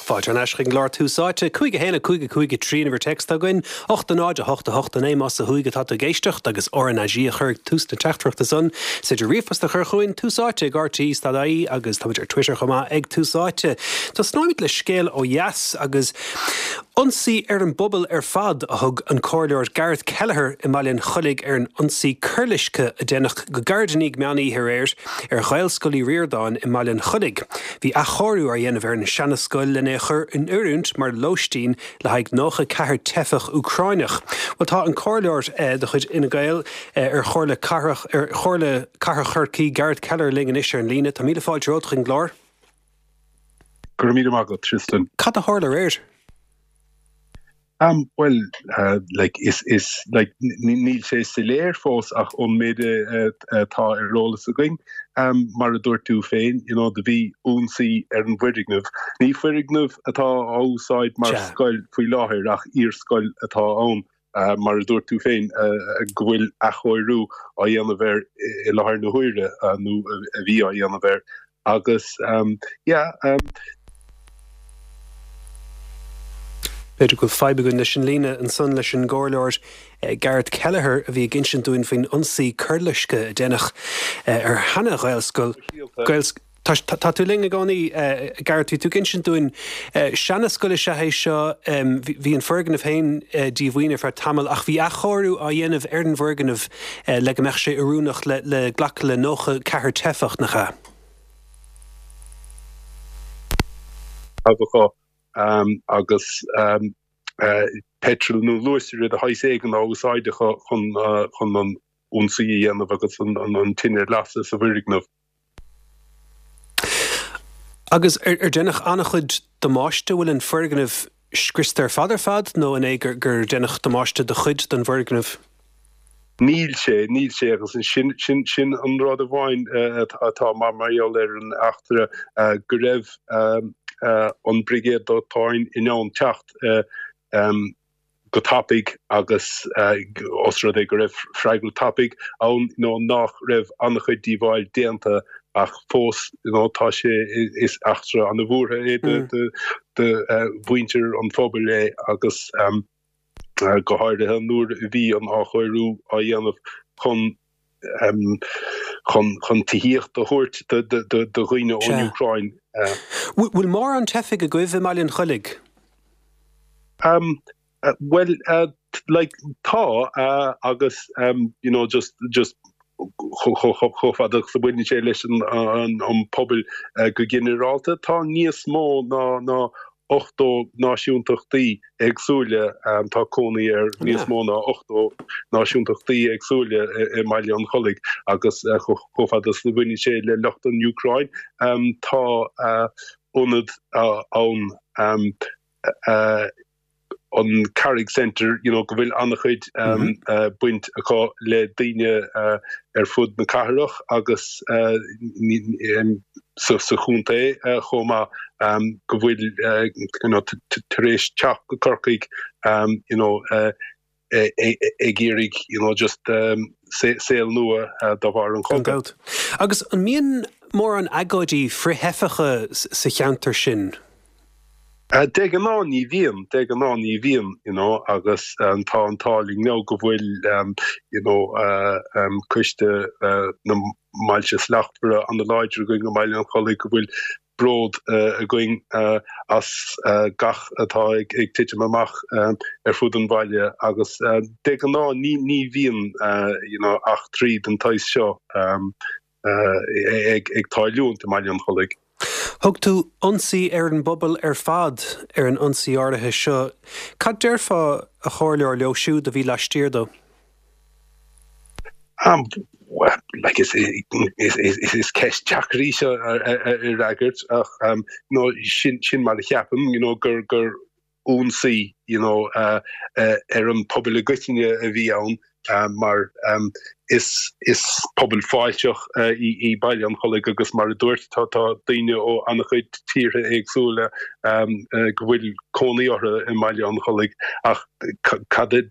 Fáilte thar n-ais chuig an gclár Tús Áite. 5 1 5 5 3 an uimhir téacs atá againn. 8 0 8 8 9 más ó thuaidh atá tú ag éisteacht agus RnaG a chur ag tús na teachtaireachta san. Is féidir ríomhphost a chur chugainn, Tús Áite ag rte dot ie agus táimid ar Twitter chomh maith ag Tús Áite. Tosnóimid le scéal ó dheas agus ionsaí ar an bpobal ar fad a thug an Comhairleoir Gareth Kelleher i mBaile an Chollaigh ar an ionsaí coirloiscthe a deineadh go gairid i ndiaidh meán oíche aréir ar Ghaelscoil Uí Ríordáin i mBaile an Chollaigh. Bhí athchóiriú á dhéanamh ar an seanascoil lena é a chur in oiriúint mar lóistín le haghaidh 94 teifeach Úcráineach. Bhuel tá an comhairleoir de chuid Fhine Gael ar Chomhairle Cathrach ar Chomhairle Cathrach Chorcaí, Gareth Kelleher linn anois ar an líne. Tá míle fáilte romhat chuig an gclár. Go raibh míle maith agat, Tristan. Cad a tharla aréir? Am, bhuel, like, is, is, like, níl sé soiléir fós ach ón méid atá ar eolas againn, mar a dúirt tú féin, you know, do bhí ionsaí ar an bhfoirgneamh. Ní foirgneamh atá á úsáid mar scoil faoi láthair ach iarscoil atá ann, mar a dúirt tú féin, go bhfuil athchóiriú á dhéanamh air i láthair na huaire, nó a bhí á dhéanamh air. Agus, yeah. B'fhéidir go bhfuil fadhb againn leis an líne ansan leis an gComhairleoir Gareth Kelleher a bhí ag insint dúinn faoin ionsaí coirloiscthe a deineadh ar sheana-Ghaelscoil. Tá tú linn i gcónaí, Gareth. Bhí tú ag insint dúinn, seanascoil is ea é seo, bhí an foirgneamh féin díomhaoin ar feadh tamaill ach bhí athchóiriú á dhéanamh ar an bhfoirgneamh le go mbeadh sé oiriúnach le glacadh le 94 teifeach, nach ea? acu agus peitreal nó luasaire de shaghas éigin á úsáid acu chun an ionsaí a dhéanamh agus an tine a lasadh sa bhfoirgneamh. Agus ar deineadh an-chuid damáiste? Bhfuil an foirgneamh scriosta ar fad ar fad nó an é gur deineadh damáiste do chuid den bhfoirgneamh? Níl sé, níl sé agus sin, sin, sin an rud amháin atá mar mar gheall ar an eachtra go raibh an Brigéad Dóiteáin in ann teacht go tapaidh agus os rud é go raibh freagra tapaidh ann you know nach raibh an-chuid díobháil déanta ach fós you know tá sé, is eachtra an-bhuartha é do do mhuintir an phobail é agus. go háirithe nuair a bhí an athchóiriú á dhéanamh chun chun chun tithíocht a thabhairt do do dhaoine ón Úcráin. Bhfuil mórán teifigh agaibh i mBaile an Chollaigh? Bhuel, like, tá agus you know just just chomh fada agus a bhaineann sé leis an pobal go ginearálta, tá níos mó ná ná 80 náisiúntachtaí éagsúla, tá cónaí ar níos mó ná 80 náisiúntachtaí éagsúla i mBaile an Chollaigh agus chomh fada is a bhaineann sé le lucht an Úcráin, tá ionad ann an Carraig Centre, you know, go bhfuil an-chuid baint acu le daoine ar fud na cathrach agus sa chontae chomh maith, go bhfuil, you know, tar éis teacht go Corcaigh, you know, ag iarraidh, you know, just saol nua de bharr an chogaidh. Gan dabht. Agus an mbíonn mórán agóidí frith-theifeacha sa cheantar sin? De ghnáth ní bhíonn, de ghnáth ní bhíonn, you know, agus tá an t-ádh linn now go bhfuil, you know, coiste na mBailte Slachtmhara an-láidir againn i mBaile an Chollaigh, go bhfuil bród againn as gach atá ag titim amach ar fud an bhaile agus de ghnáth ní bhíonn, you know, eachtraí den tsaghas seo ag tarlúint i mBaile an Chollaigh. Thug tú ionsaí ar an bpobal ar fad ar an ionsaí áirithe seo. Cad déarfá, a Chomhairleoir, leo siúd a bhí laistiar dó? Like is is ceist deacair í seo a fhreagairt ach you know sin sin mar a cheapaim you know gur gur ionsaí you know ar an pobal i gcoitinne a bhí ann mar is is pobal fáilteach í Baile an Chollaigh agus mar a dúirt tá tá daoine ó an-chuid tíortha éagsúla go bhfuil cónaí orthu i mBaile an Chollaigh ach cad a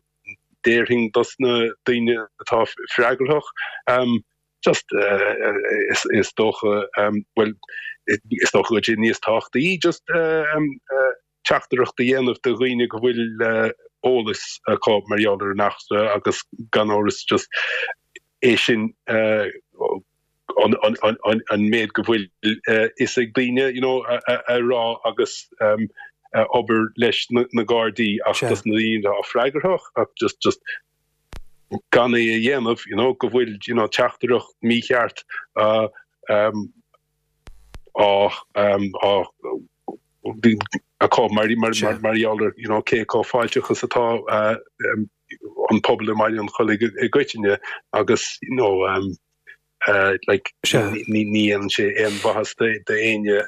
déarfainn dos na daoine atá freagrach. Just is dócha, bhuel, is dócha go bhfuil sé níos tábhachtaí just teachtaireacht a dhéanamh do dhaoine go bhfuil eolas acu mar gheall ar an eachtra agus gan amhras just é sin an méid go bhfuil fhios ag daoine you know a rá agus obair leis na Gardaí ach dos na daoine atá freagrach ach just just gan é a dhéanamh you know go bhfuil you know teachtaireacht mícheart á á á acu mar mar gheall ar you know cé chomh fáilteach is atá an pobal i mBaile an Chollaigh i gcoitinne agus you know like ní dhéanann sé aon mhaitheas d'éinne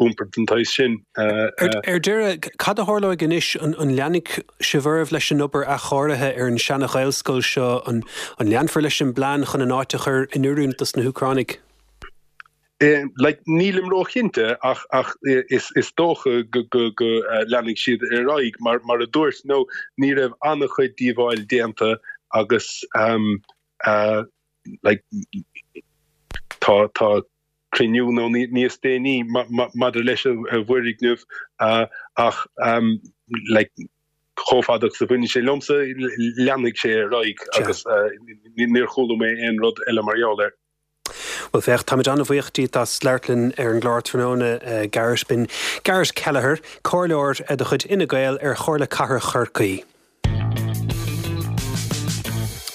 iompar den tsaghas sin. Ar deireadh, cad a tharlóidh anois? An leanfaidh sibh oraibh leis an obair athchóirithe ar an seana-Ghaelscoil seo? An leanfar leis an bplean chun an áit a chur in oiriúint dos na hÚcránaigh? Like, nílim róchinnte ach ach is is dócha go go go leanfaidh siad ar aghaidh mar mar a dúirt nó ní raibh an-chuid díobháil déanta agus um, like tá tá cruinniú nó níos déanaí maidir leis an bhfoirgneamh ach um, like chomh fada agus a bhaineann sé liomsa leanfaidh sé ar aghaidh agus níor chuala mé aon rud eile mar gheall air. Bhuel féach, táimid an-bhuíoch díot as labhairt linn ar an gclár tráthnóna, Garret. B'in Garret Kelleher, comhairleoir de chuid Fhine Gael ar Chomhairle Cathrach Chorcaí.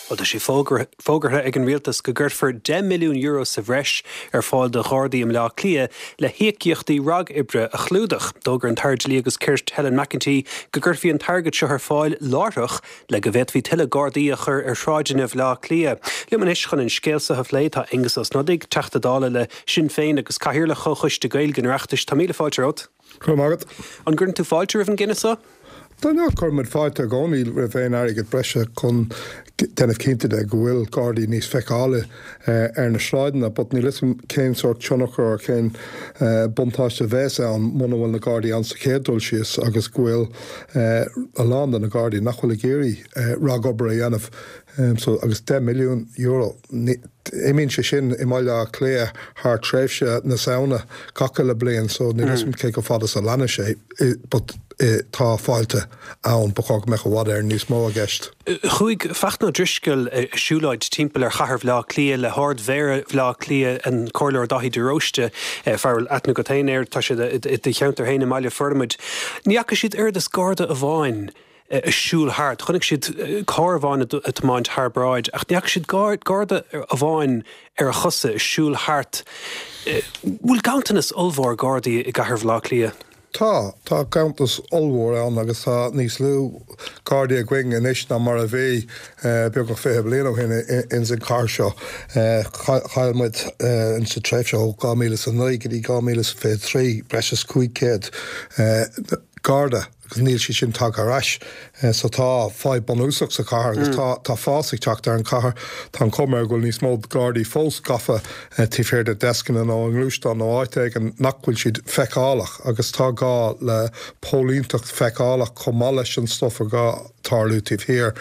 Bhuel, tá sé fógartha ag an Rialtas go gcuirfear €10 milliún sa bhreis ar fáil do Ghardaí i mBleá Cliath le híocaíochtaí ragoibre a chlúdach. D'fhógair an tAire Dlí agus Cirt Helen McEntee go gcuirfí an t-airgead seo ar fáil láithreach le go bhféadfaí tuilleadh Gardaí a chur ar shráideanna Bhaile Átha Cliath. Liom anois chun an scéal seo a phlé tá Aengus Ó Snodaigh, Teachta Dála le Sinn Féin agus Cathaoirleach Chomhchoiste Gaeilge an Oireachtais. Tá míle fáilte romhat. Go raibh maith agat. An gcuireann tú fáilte roimh an gcinneadh seo? Dar ndóigh, cuirimid fáilte i gcónaí roimh aon airgead breise chun déanamh cinnte de go bhfuil Gardaí níos feiceálaí ar na sráideanna but níl 'fhios a'm cén sórt tionchar or cén buntáiste a bheas ann muna bhfuil na Gardaí ann sa chéad dul síos agus go bhfuil a lán de na Gardaí nach bhfuil ag iarraidh ragobair a dhéanamh so agus €10 milliún imíonn sé sin i mBaile Átha Cliath thar tréimhse na Samhna gach uile bliain so níl 'fhios a'm cé chomh fada is a leanann sé but tá fáilte ann ba chóir go mbeadh i bhfad Éireann níos mó i gceist. Chuaigh Fachtna Ó Drisceoil ag siúlóid timpeall ar chathair Bhaile Átha Cliath le hArd-Mhéara Bhaile Átha Cliath, an Comhairleoir Daithí de Róiste, fear a bhfuil aithne agat féin air, tá sé i do cheantar féin i mBaile Formaid. Ní fhaca siad oiread is Garda amháin ag siúl thart. Chonaic siad carr amháin ag tiomáint thar bráid ach ní fhaca siad Garda amháin ar a chosa ag siúl thart. Bhfuil ganntanas ollmhór Gardaí i gcathair Bhaile Átha Cliath? Tá. Tá ganntanas ollmhór ann agus tá níos lú Gardaí againn anois ná mar a bhí beagnach 20 bliain ó shin ins an chathair seo. Chaill muid ins an tréimhse ó 2009 go dtí 2023 breis is 500 Garda agus níl siad sin tagtha ar ais. So tá fadhb bunúsach sa chathair agus tá tá fás ag teacht ar an chathair. Tá an chuma air go bhfuil níos mó Gardaí fós gafa taobh thiar de deascanna nó i ngluaisteáin nó áit éigin nach bhfuil siad feiceálach agus tá gá le póilínteacht feiceálach chomh maith leis an stuff atá ag tarlú taobh thiar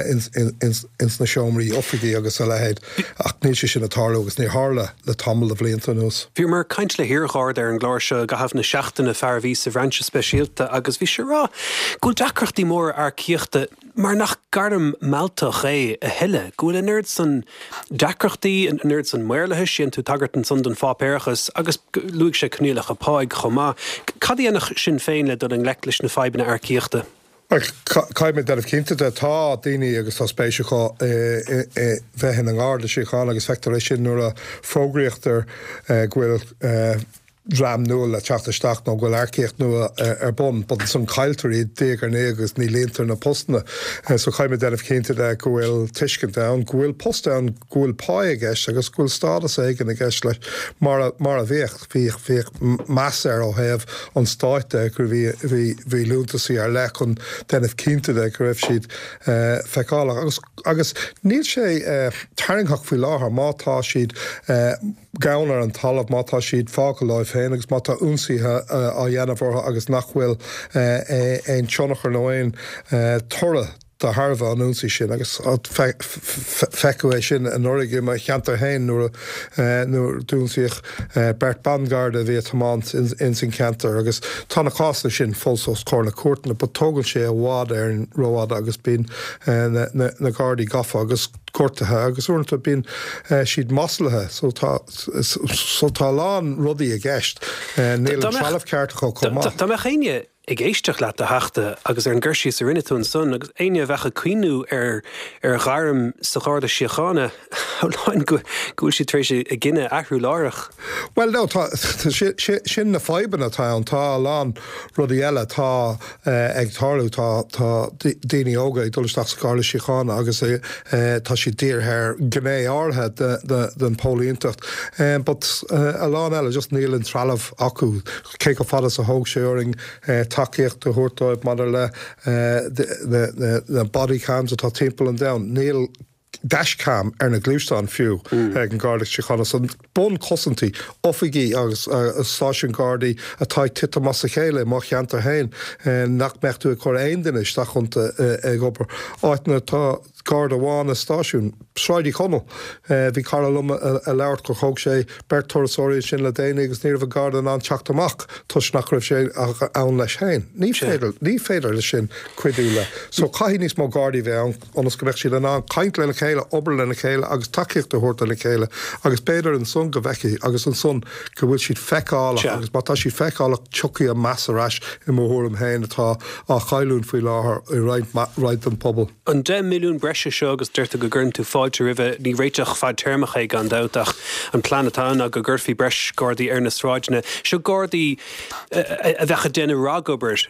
ins na seomraí oifigí agus a leithéid ach níl sé sin ag tarlú agus níor tharla le tamall de bhlianta anuas. Bhíomar ag caint le hiar-Gharda ar an gclár seo i gcaitheamh na seachtaine, fear a bhí sa bhrainse speisialta agus bhí sé ag rá go bhfuil deacrachtaí móra earcaíochta mar nach gairm mealltach é a thuilleadh, go bhfuil an oiread san deacrachtaí, an oiread san maorlathais, dhein tú tagairt ansan don pháipéarachas agus luaigh sé coinníollacha páigh chomh maith. Cad a dhéanfadh Sinn Féin le dul i ngleic leis na fadhbanna earcaíochta? Caithfidh muid déanamh cinnte de, tá daoine agus tá spéis acu i bheith ina nGarda Síochána agus feictear é sin nuair a fógraítear go bhfuil dream nua le teacht isteach nó go bhfuil earcaíocht nua ar bun, but ansan cailltear iad diaidh ar ndiaidh agus ní líontar na postanna. So caithfidh muid déanamh cinnte de go bhfuil tuiscint ann, go bhfuil post ann, go bhfuil pá i gceist agus go bhfuil stádas éigin i gceist leis mar a, mar a bhíodh. Bhíodh, bhíodh meas air ó thaobh an stáit de go bhí, bhí, bhí liúntasaí ar leith chun déanamh cinnte de go raibh siad feiceálach agus, agus níl sé tarraingtheach faoi láthair má tá siad gann ar an talamh, má tá siad fágtha leo féin agus má tá ionsaithe á dhéanamh orthu agus nach bhfuil aon tionchar nó aon toradh. de thairbhe an ionsaí sin agus feiceadh é sin anuraidh i mo cheantar féin nuair a d'ionsaíodh beirt ban-gharda a bhí ag tiomáint ins an cheantar agus tá na cásanna sin fós os comhair na cúirteanna but tógann sé i bhfad Éireann rófhada agus bíonn na gardaí gafa agus gortaithe agus uaireanta bíonn siad maslaithe so tá so tá a lán rudaí i gceist. Níl an trealamh ceart acu chomh maith. Dá mbeadh éinne ag éisteacht leat, a Theachta, agus ar an gcur síos a rinne tú ansan, agus éinne a bheadh ag cuimhniú ar ar ghairm sa Gharda Síochána, shamhlóinn go bhfuil siad tar éis a gcinneadh a athrú láithreach. Bhuel, no, tá, sin na fadhbanna atá ann. Tá a lán rudaí eile atá ag tarlú. Tá, tá daoine óga ag dul isteach sa Gharda Síochána agus tá siad dírithe ar ghné áirithe den phóilínteacht. But a lán eile, just níl an trealamh acu. Cé chomh fada is a thóg sé orainn tacaíocht a thabhairt dóibh maidir le na body cams atá timpeall an domhain, níl dash cam ar na gluaisteáin fiú ag an Garda Síochána. So bunchosaintí, oifigí agus stáisiúin Gardaí atá ag titim as a chéile i mo cheantar féin, nach mbeadh tú ag cur aon duine isteach iontu ag obair. Áiteanna atá. Garda amháin i stáisiún Sráid Uí Chonaill. Bhí cara liom ag labhairt gur thóg sé beirt turasóirí ansin le déanaí agus ní raibh an Garda in ann teacht amach toisc nach raibh sé ann leis féin. Ní féidir, ní féidir leis sin cuidiú le. So caithfidh níos mó Gardaí bheith ann ionas go mbeadh siad in ann caint lena chéile, obair lena chéile agus tacaíocht a thabhairt lena chéile agus b'fhéidir ansan go bhfeicfidh agus ansan go bhfuil siad feiceálach agus má tá siad feiceálach tiocfaidh an meas ar ais i mo thuairim féin atá á chailliúint faoi láthair i roinnt, roinnt den pobal. An 10 milliún breise seo, agus deir tú go gcuireann tú fáilte roimhe, ní réiteach fadtéarmach é gan dabht ach an plean atá ann ná go gcuirfí breis Gardaí ar na sráideanna. Seo Gardaí a bheadh ag déanamh ragobair.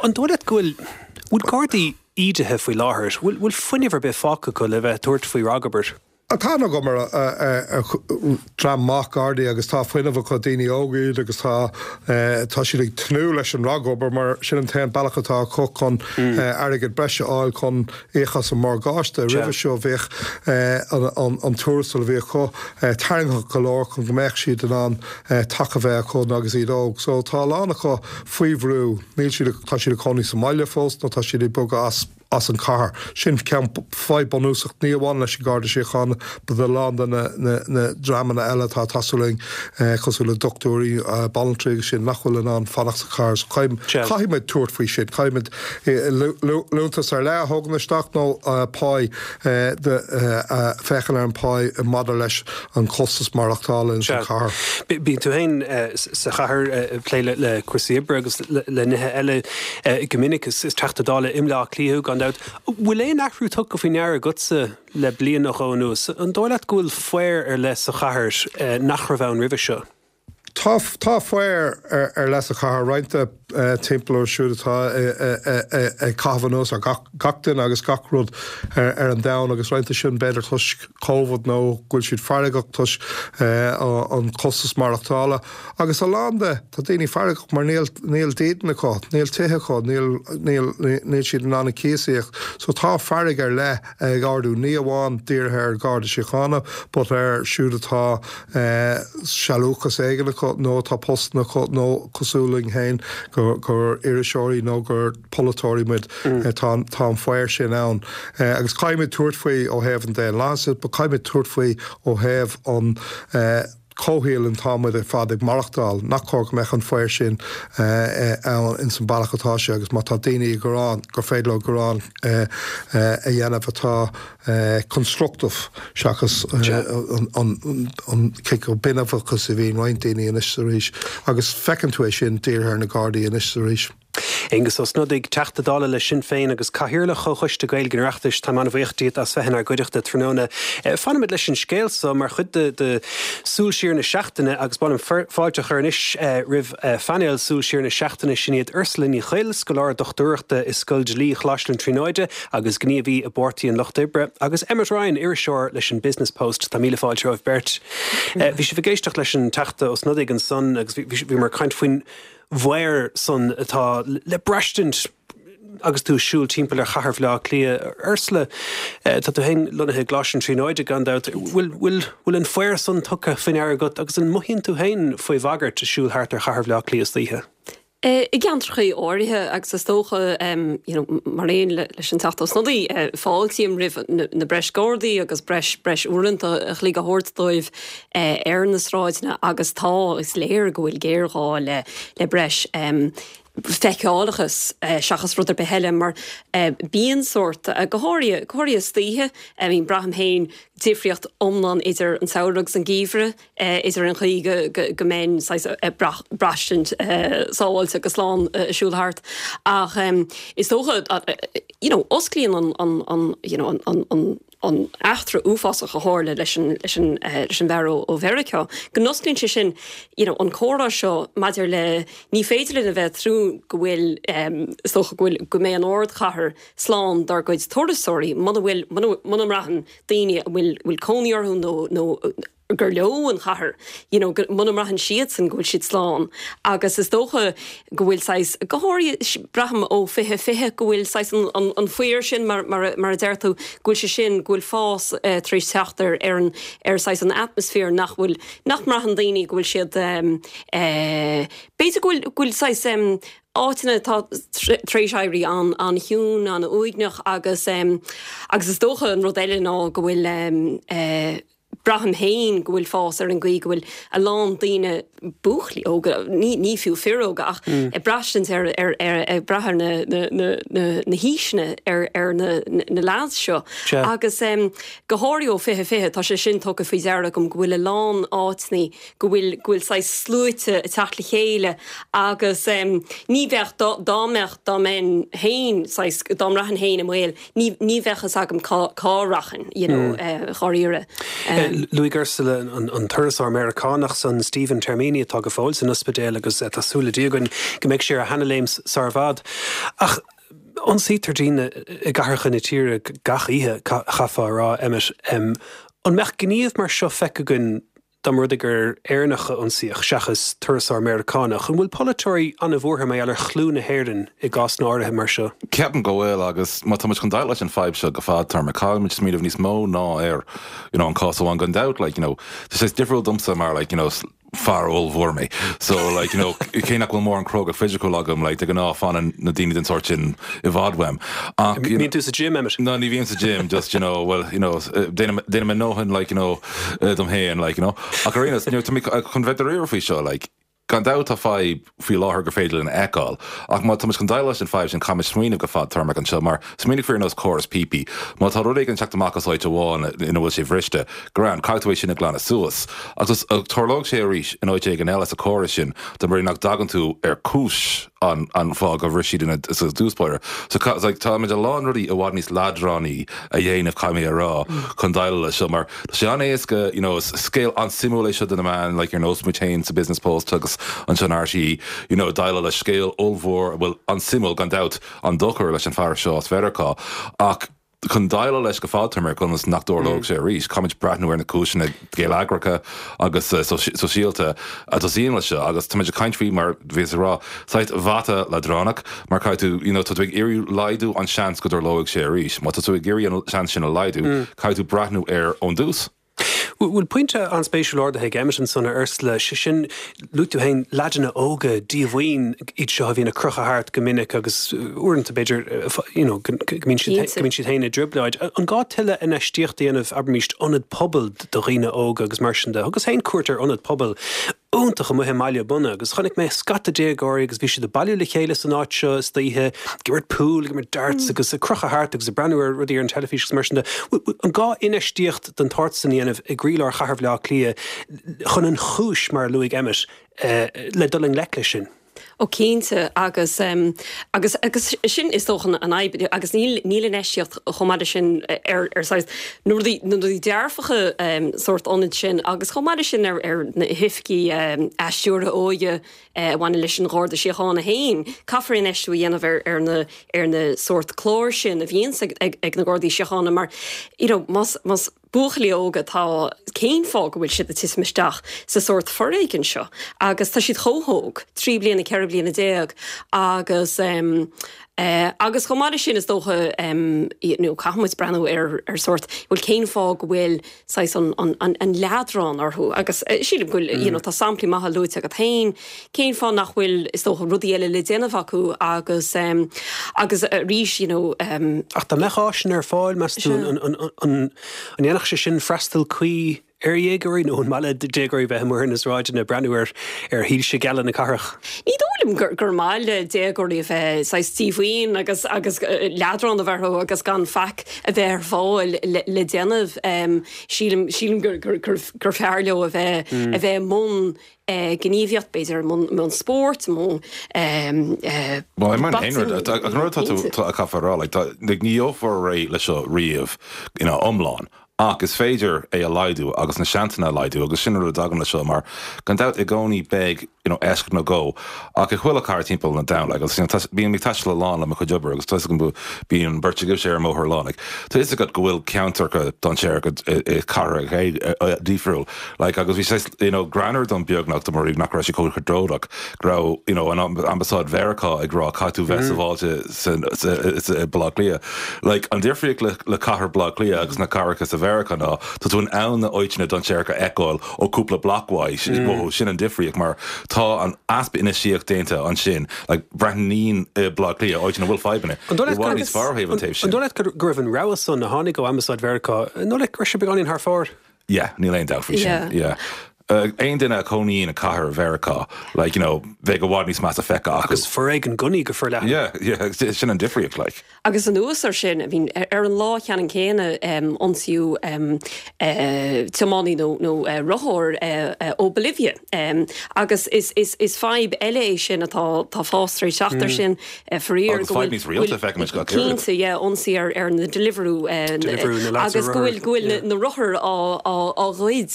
An dóigh leat go bhfuil bhfuil Gardaí ídithe faoi láthair? Bhfuil bhfuil fuinneamh ar bith fágtha acu le bheith ag tabhairt faoi ragobair? Tá aithne agam ar dhream maith Gardaí agus tá fuinneamh acu, daoine óga iad agus tá tá siad ag tnúth leis an ragobair mar sin an t-aon bealach atá acu chun airgead breise a fháil chun íoc as an morgáiste. Roimhe seo bhíodh an tuarastal a bhí acu tarraingteach go leor chun go mbeadh siad in ann taca a bheith acu agus iad óg. So tá a lán acu faoi bhrú, níl siad, tá siad ag cónaí sa mbaile fós nó tá siad ag bogadh as. as an chathair. Sin ceann fadhb bunúsach, ní amháin leis an Garda Síochána but a lán de na dreamanna eile atá ag teastáil uainn, cosúil le dochtúirí, banaltraí agus sin, nach bhfuil in ann fanacht sa chathair. So caithfidh muid tabhairt faoi sin. Caithfidh muid liúntas ar leith a thógaint isteach nó pá, féachaint ar an pá maidir leis an costas maireachtála ins an chathair. Bíonn tú féin sa chathair ag plé le cúrsaí oibre agus le nithe eile go minic. Is Teachta Dála i mBleá Cliath thú, gan dabht. Bhfuil aon athrú tugtha faoi ndeara agatsa le bliain nó dhó anuas? An dóigh leat go bhfuil faobhar ar leith sa chathair nach raibh ann roimhe seo? Tá, tá faobhar ar leith sa chathair, roinnt de timpeall orthu siúd atá ag caitheamh anuas ar gach duine agus gach rud ar an domhan agus roinnt de sin b'fhéidir toisc Covid nó go bhfuil siad feargach toisc an costas maireachtála agus a lán de, tá daoine feargach mar níl, níl dídean acu, níl tithe acu, níl, níl, níl siad in ann an cíos a íoc. So tá fearg ar leith ag ardú, ní amháin dírithe ar Gharda Síochána but ar siúd atá sealúchas éigin acu nó atá postanna acu nó cosúil linn féin gur iriseoirí nó gur polaiteoirí muid. Tá an faobhar sin ann agus caithfimid tabhairt faoi ó thaobh an daonlathais de but caithfimid tabhairt faoi ó thaobh an comhshaoil ina tá muid ar fad ag maireachtáil, nach cóir go mbeadh an faobhar sin ann ins an bealach atá sé agus má tá daoine ag gearán gur féidir leo gearán a dhéanamh atá constructive seachas an cineál binbeachas a bhíonn roinnt daoine anois is arís agus feiceann tú é sin dírithe ar na Gardaí anois is arís. Aengus Ó Snodaigh, Teachta Dála le Sinn Féin agus Cathaoirleach Chomhchoiste Gaeilge an Oireachtais, táim an-bhuíoch díot as bheith inár gcuideachta tráthnóna. Fanfaimid leis an scéal so mar chuid de Súil Siar na Seachtaine agus ba mhaith liom fáilte a chur anois roimh phainéal Súil Siar na Seachtaine, sin iad Ursula Ní Chuill, scoláire dochtúireachta i Scoil Dlí Choláiste na Tríonóide agus gníomhaí i bPáirtí an Lucht Oibre, agus Emmet Ryan, iriseoir leis an Business Post. Tá míle fáilte romhaibh beirt. Bhí sibh ag éisteacht leis an Teachta Ó Snodaigh ansan agus bhíomar ag caint faoin bhfaobhar san atá le braistint agus tú ag siúl timpeall ar chathair Bhaile Átha Cliath. Ursula, tá tú féin lonnaithe i gColáiste na Tríonóide gan dabht. Bhfuil, bhfuil, bhfuil an faobhar san tugtha faoi ndeara agat agus an mothaíonn tú féin faoi bhagairt ag siúl thart ar chathair Bhaile Átha Cliath istoíche? I gceantracha áirithe, agus is dócha, you know, mar aon leis an Teachta Ó Snodaigh, fáiltím roimh na breis Gardaí agus breis, breis uaireanta a chloig a thabhairt dóibh ar na sráideanna agus tá, is léir go bhfuil géarghá le, le breis feiceálachas seachas rud ar bith eile mar bíonn sórt, go háirithe, go háirithe istoíche, I mean braithim féin difríocht iomlán idir an samhradh agus an geimhreadh. idir an chaoi go mbeinn saghas ag braistint sábháilte agus slán ag siúl thart ach is dócha you know osclaíonn an an you know an an an eachtra uafásach a tharla leis an leis an leis an bhfear ó Mheiriceá go n-osclaíonn sé sin you know an comhrá seo maidir le ní féidir linn a bheith ag tnúth go bhfuil is dócha go bhfuil go mbeidh an ardchathair slán dár gcuid turasóirí muna bhfuil muna mbraitheann daoine a bhfuil bhfuil cónaí orthu nó nó gur leo an chathair, you know, go, muna mbraitheann siadsan go bhfuil siad slán. Agus is dócha go bhfuil saghas, go háirithe, braithim ó 2020 go bhfuil saghas an, an, an faobhar sin mar, mar, mar a deir tú, go bhfuil sé sin, go bhfuil fás eh, tar éis teacht ar, ar an, ar saghas an atmaisféar nach bhfuil, nach mbraitheann daoine go bhfuil siad eh, eh, b'fhéidir go bhfuil, go bhfuil saghas em, áiteanna atá tar éis éirí an-chiúin, an-uaigneach agus agus is dócha an rud eile ná go bhfuil braithim féin go bhfuil fás ar an gcaoi go bhfuil a lán daoine, buachaillí óga, ní ní fiú fir óga ach ag braistint ar ar ar ag brath ar na na na na na haoiseanna ar ar na na lads seo agus go háirithe ó 2020 tá sé sin tugtha faoi deara agam go bhfuil a lán áiteanna go bhfuil, go bhfuil saghas sluaite ag teacht le chéile agus ní bheadh, dá, dá mbeadh, dá mbeinn féin saghas, dá mbraithfinn féin i mbaol, ní, ní bheadh fhios agam cá, cá rachainn, you know, dháiríre. Luaigh Ursula an, an turasóir Meiriceánach san, Stephen Termini, atá go fóill san ospidéal agus tá súil le Dia againn go mbeidh sé ar a sheanaléim sar i bhfad. Ach ionsaítear daoine i gcathracha na tíre gach oíche, chaithfeá a rá, Emmet. An mbeadh gníomh mar seo feicthe againn Dá mba rud é gur Éireannach a ionsaíodh seachas turasóir Meiriceánach, an bhfuil polaiteoirí an-bhuartha mar gheall ar chlú na hÉireann i gcásanna áirithe mar seo? Ceapaim go bhfuil agus má tá muid chun déileáil leis an fadhb seo go fadtéarmach, caithfidh muid smaoineamh níos mó ná ar you know an cás amháin gan dabht like you know tá sé difriúil domsa mar like you know fear ollmhór mé so like you know cé nach bhfuil mórán cróga fisiciúil agam like de ghnáth fanann na daoine den sórt sin i bhfad uaim ach you know Bíonn tú sa gym, Emmet? No ní bhím sa gym just you know well you know déanaim déanaim mo ndóthain like you know dom féin, like, you know. Ach ar aon nós, tá mé chun bheith dáiríre faoi seo, like, gan dabht tá fadhb faoi láthair gur féidir linn a fheiceáil, ach má tá muid chun déileáil leis an fadhb sin caithfidh muid smaoineamh go fadtéarmach anseo, mar smaoinigh faoi ar nós córas píopaí, má tá rud éigin ag teacht amach as áit amháin ina bhfuil sé bhriste, grand, caithfidh tú é sin a ghlanadh suas. Ach tarlóidh sé arís in áit éigin eile sa chóras sin dá mba rud é nach dtagann tú ar chúis an an fáth gur bhris siad ina sa dtús báire. So like táimid a lán rudaí i bhfad níos leadránaí a dhéanamh caithfidh mé a rá chun déileáil leis seo mar tá sé an-éasca you know is scéal an-suimiúil é seo do na meáin like ar nós muid féin sa Business Post agus anseo in RTÉ you know déileáil le scéal ollmhór a bhfuil an-suimiúil gan dabht an-dochar leis an fear seo as Mheiriceá ach Chun déileáil leis go fadtéarmach ionas nach dtarlóidh sé arís, caithfimid breathnú ar na cúiseanna geilleagracha agus sóisialta a tosaíonn leis seo agus táimid ag caint faoi, mar bhíos ag rá, saghas bata leadránach mar caithfidh tú, you know, tá tú ag iarraidh laghdú an seans go dtarlóidh sé arís. Má tá tú ag iarraidh an seans sin a laghdú, caithfidh tú breathnú air ón dtús. Bhfuil pointe an-spéisiúil ardaithe ag Emmet ansan, a Ursula, sé sin, luaigh tú féin leaideanna óga díomhaoin iad seo a bhíonn ag crochadh thart go minic agus uaireanta b'fhéidir you know go mbíonn siad go mbíonn siad féin i dtrioblóid. An gá tuilleadh infheistíocht a dhéanamh, abraimis, ionad pobail do dhaoine óga agus mar sin de? Thugas féin cuairt ar ionad pobail iontach amuigh i mBaile Munna agus chonaic mé scata déagóirí agus bhí siad ag bailiú le chéile san áit seo istoíche, ag imirt pool, ag imirt darts agus ag crochadh thart agus ag breathnú ar rudaí ar an teilifís agus mar sin de. An gá infheistíocht den tsórt san a dhéanamh i gcroílár chathair Bhaile Átha Cliath chun an chúis, mar a luaigh Emmet, le dul i ngleic leis sin? Ó cinnte agus agus agus sin is dócha an fhadhb agus níl níl infheistíocht chomh maith leis sin ar ar saghas na rudaí na rudaí dearfacha sórt ionad sin agus chomh maith leis sin ar ar na hoifigí athstiúrtha óige a bhaineann leis an Gharda Síochána féin. Caithfear infheistiú a dhéanamh ar ar na ar na sórt cláir sin a bhíonns ag ag ag na Gardaí Síochána mar you know más más. buachaillí óga atá, cén fáth go bhfuil siad ag titim isteach sa sórt foréigin seo agus tá siad chomh hóg, 13 bliana, 14 bliana agus agus chomh maith leis sin is dócha you know caithfidh muid breathnú ar ar sórt, bhuel cén fáth go bhfuil saghas an an an an leadrán orthu agus sílim go bhfuil you know tá samplaí maithe luaite agat féin, cén fáth nach bhfuil is dócha rudaí eile le déanamh acu agus agus arís you know. Ach dá mbeadh áiseanna ar fáil meas tú an an an an ndéanfadh sé sin freastal cuí ar dhéagóirí nó an maith le déagóirí bheith amuigh ar na sráideanna ag breathnú ar ar shoilse geala na cathrach? Ní dóigh liom gur gur maith le déagóirí a bheith saghas díomhaoin agus agus leadrán a bheith orthu agus gan faic a bheith ar fáil le déanamh. Sílim sílim gur gur gur gur fearr leo a bheith a bheith i mbun gníomhaíocht, b'fhéidir i mbun i mbun spóirt, i mbun Bhuel, i mbun aon rud, an rud atá tú a caithfear a rá, like, tá, like, ní gheofar réidh leis seo riamh ina iomlán, ach is féidir é a laghdú agus na seansanna a laghdú agus sin an rud a dtagann leis seo mar gan dabht i gcónaí beidh you know eisceacht nó dhó ach i chuile chathair timpeall an domhain like agus you know tá bím ag taisteal a lán le mo chuid oibre agus tá 'fhios agam go bíonn an bheirt agaibhse ar an mbóthar a lán like tá 'fhios agat go bhfuil ceantracha dainséaracha i cathracha difriúil like agus bhí sé you know greannmhar dom beagnach dá mba rud nach raibh sé chomh tragóideach go raibh you know an ambasáid Mheiriceá ag rá caithfidh tú bheith sábháilte sa i Baile Átha Cliath. Like, an difríocht le le cathair Bhaile Átha Cliath agus na cathracha sa Mheiriceá ná tá tú in ann na áiteanna dainséaracha a fheiceáil ó cúpla bloc uait, mm. Sin an difríocht mar tá an easpa infheistíocht déanta ansin, like, breathnaíonn i Baile Átha Cliath, áit ina bhfuil fadhbanna, i bhfad níos fearr ó thaobh an taobh sin. An dóigh leat go raibh an rabhadh san a tháinig ó Ambasáid Mheiriceá, an dóigh leat go raibh sé beagáinín thar fóir? Yeah, níl aon dabht faoi sin. Yeah. Aon duine a chónaíonn i cathair Mheiriceá, like, you know, bheadh i bhfad níos measa feicthe acu. Agus foréigean gunnaí go forleathan. Yeah, yeah, sin an difríocht, like. Agus anuas ar sin, I mean, ar an lá cheannann céanna, ionsaíodh tiománaí nó nó rothóir ó Bolivia. Agus is is is fadhb eile é sin atá tá fás tar éis teacht ar sin. Faraor Agus fadhb níos rialta a feicimid gach oiread. Cinnte, yeah, ionsaí ar ar na Deliveroo Deliveroo, na lads ar agus go bhfuil go bhfuil na rothair á á á ghoid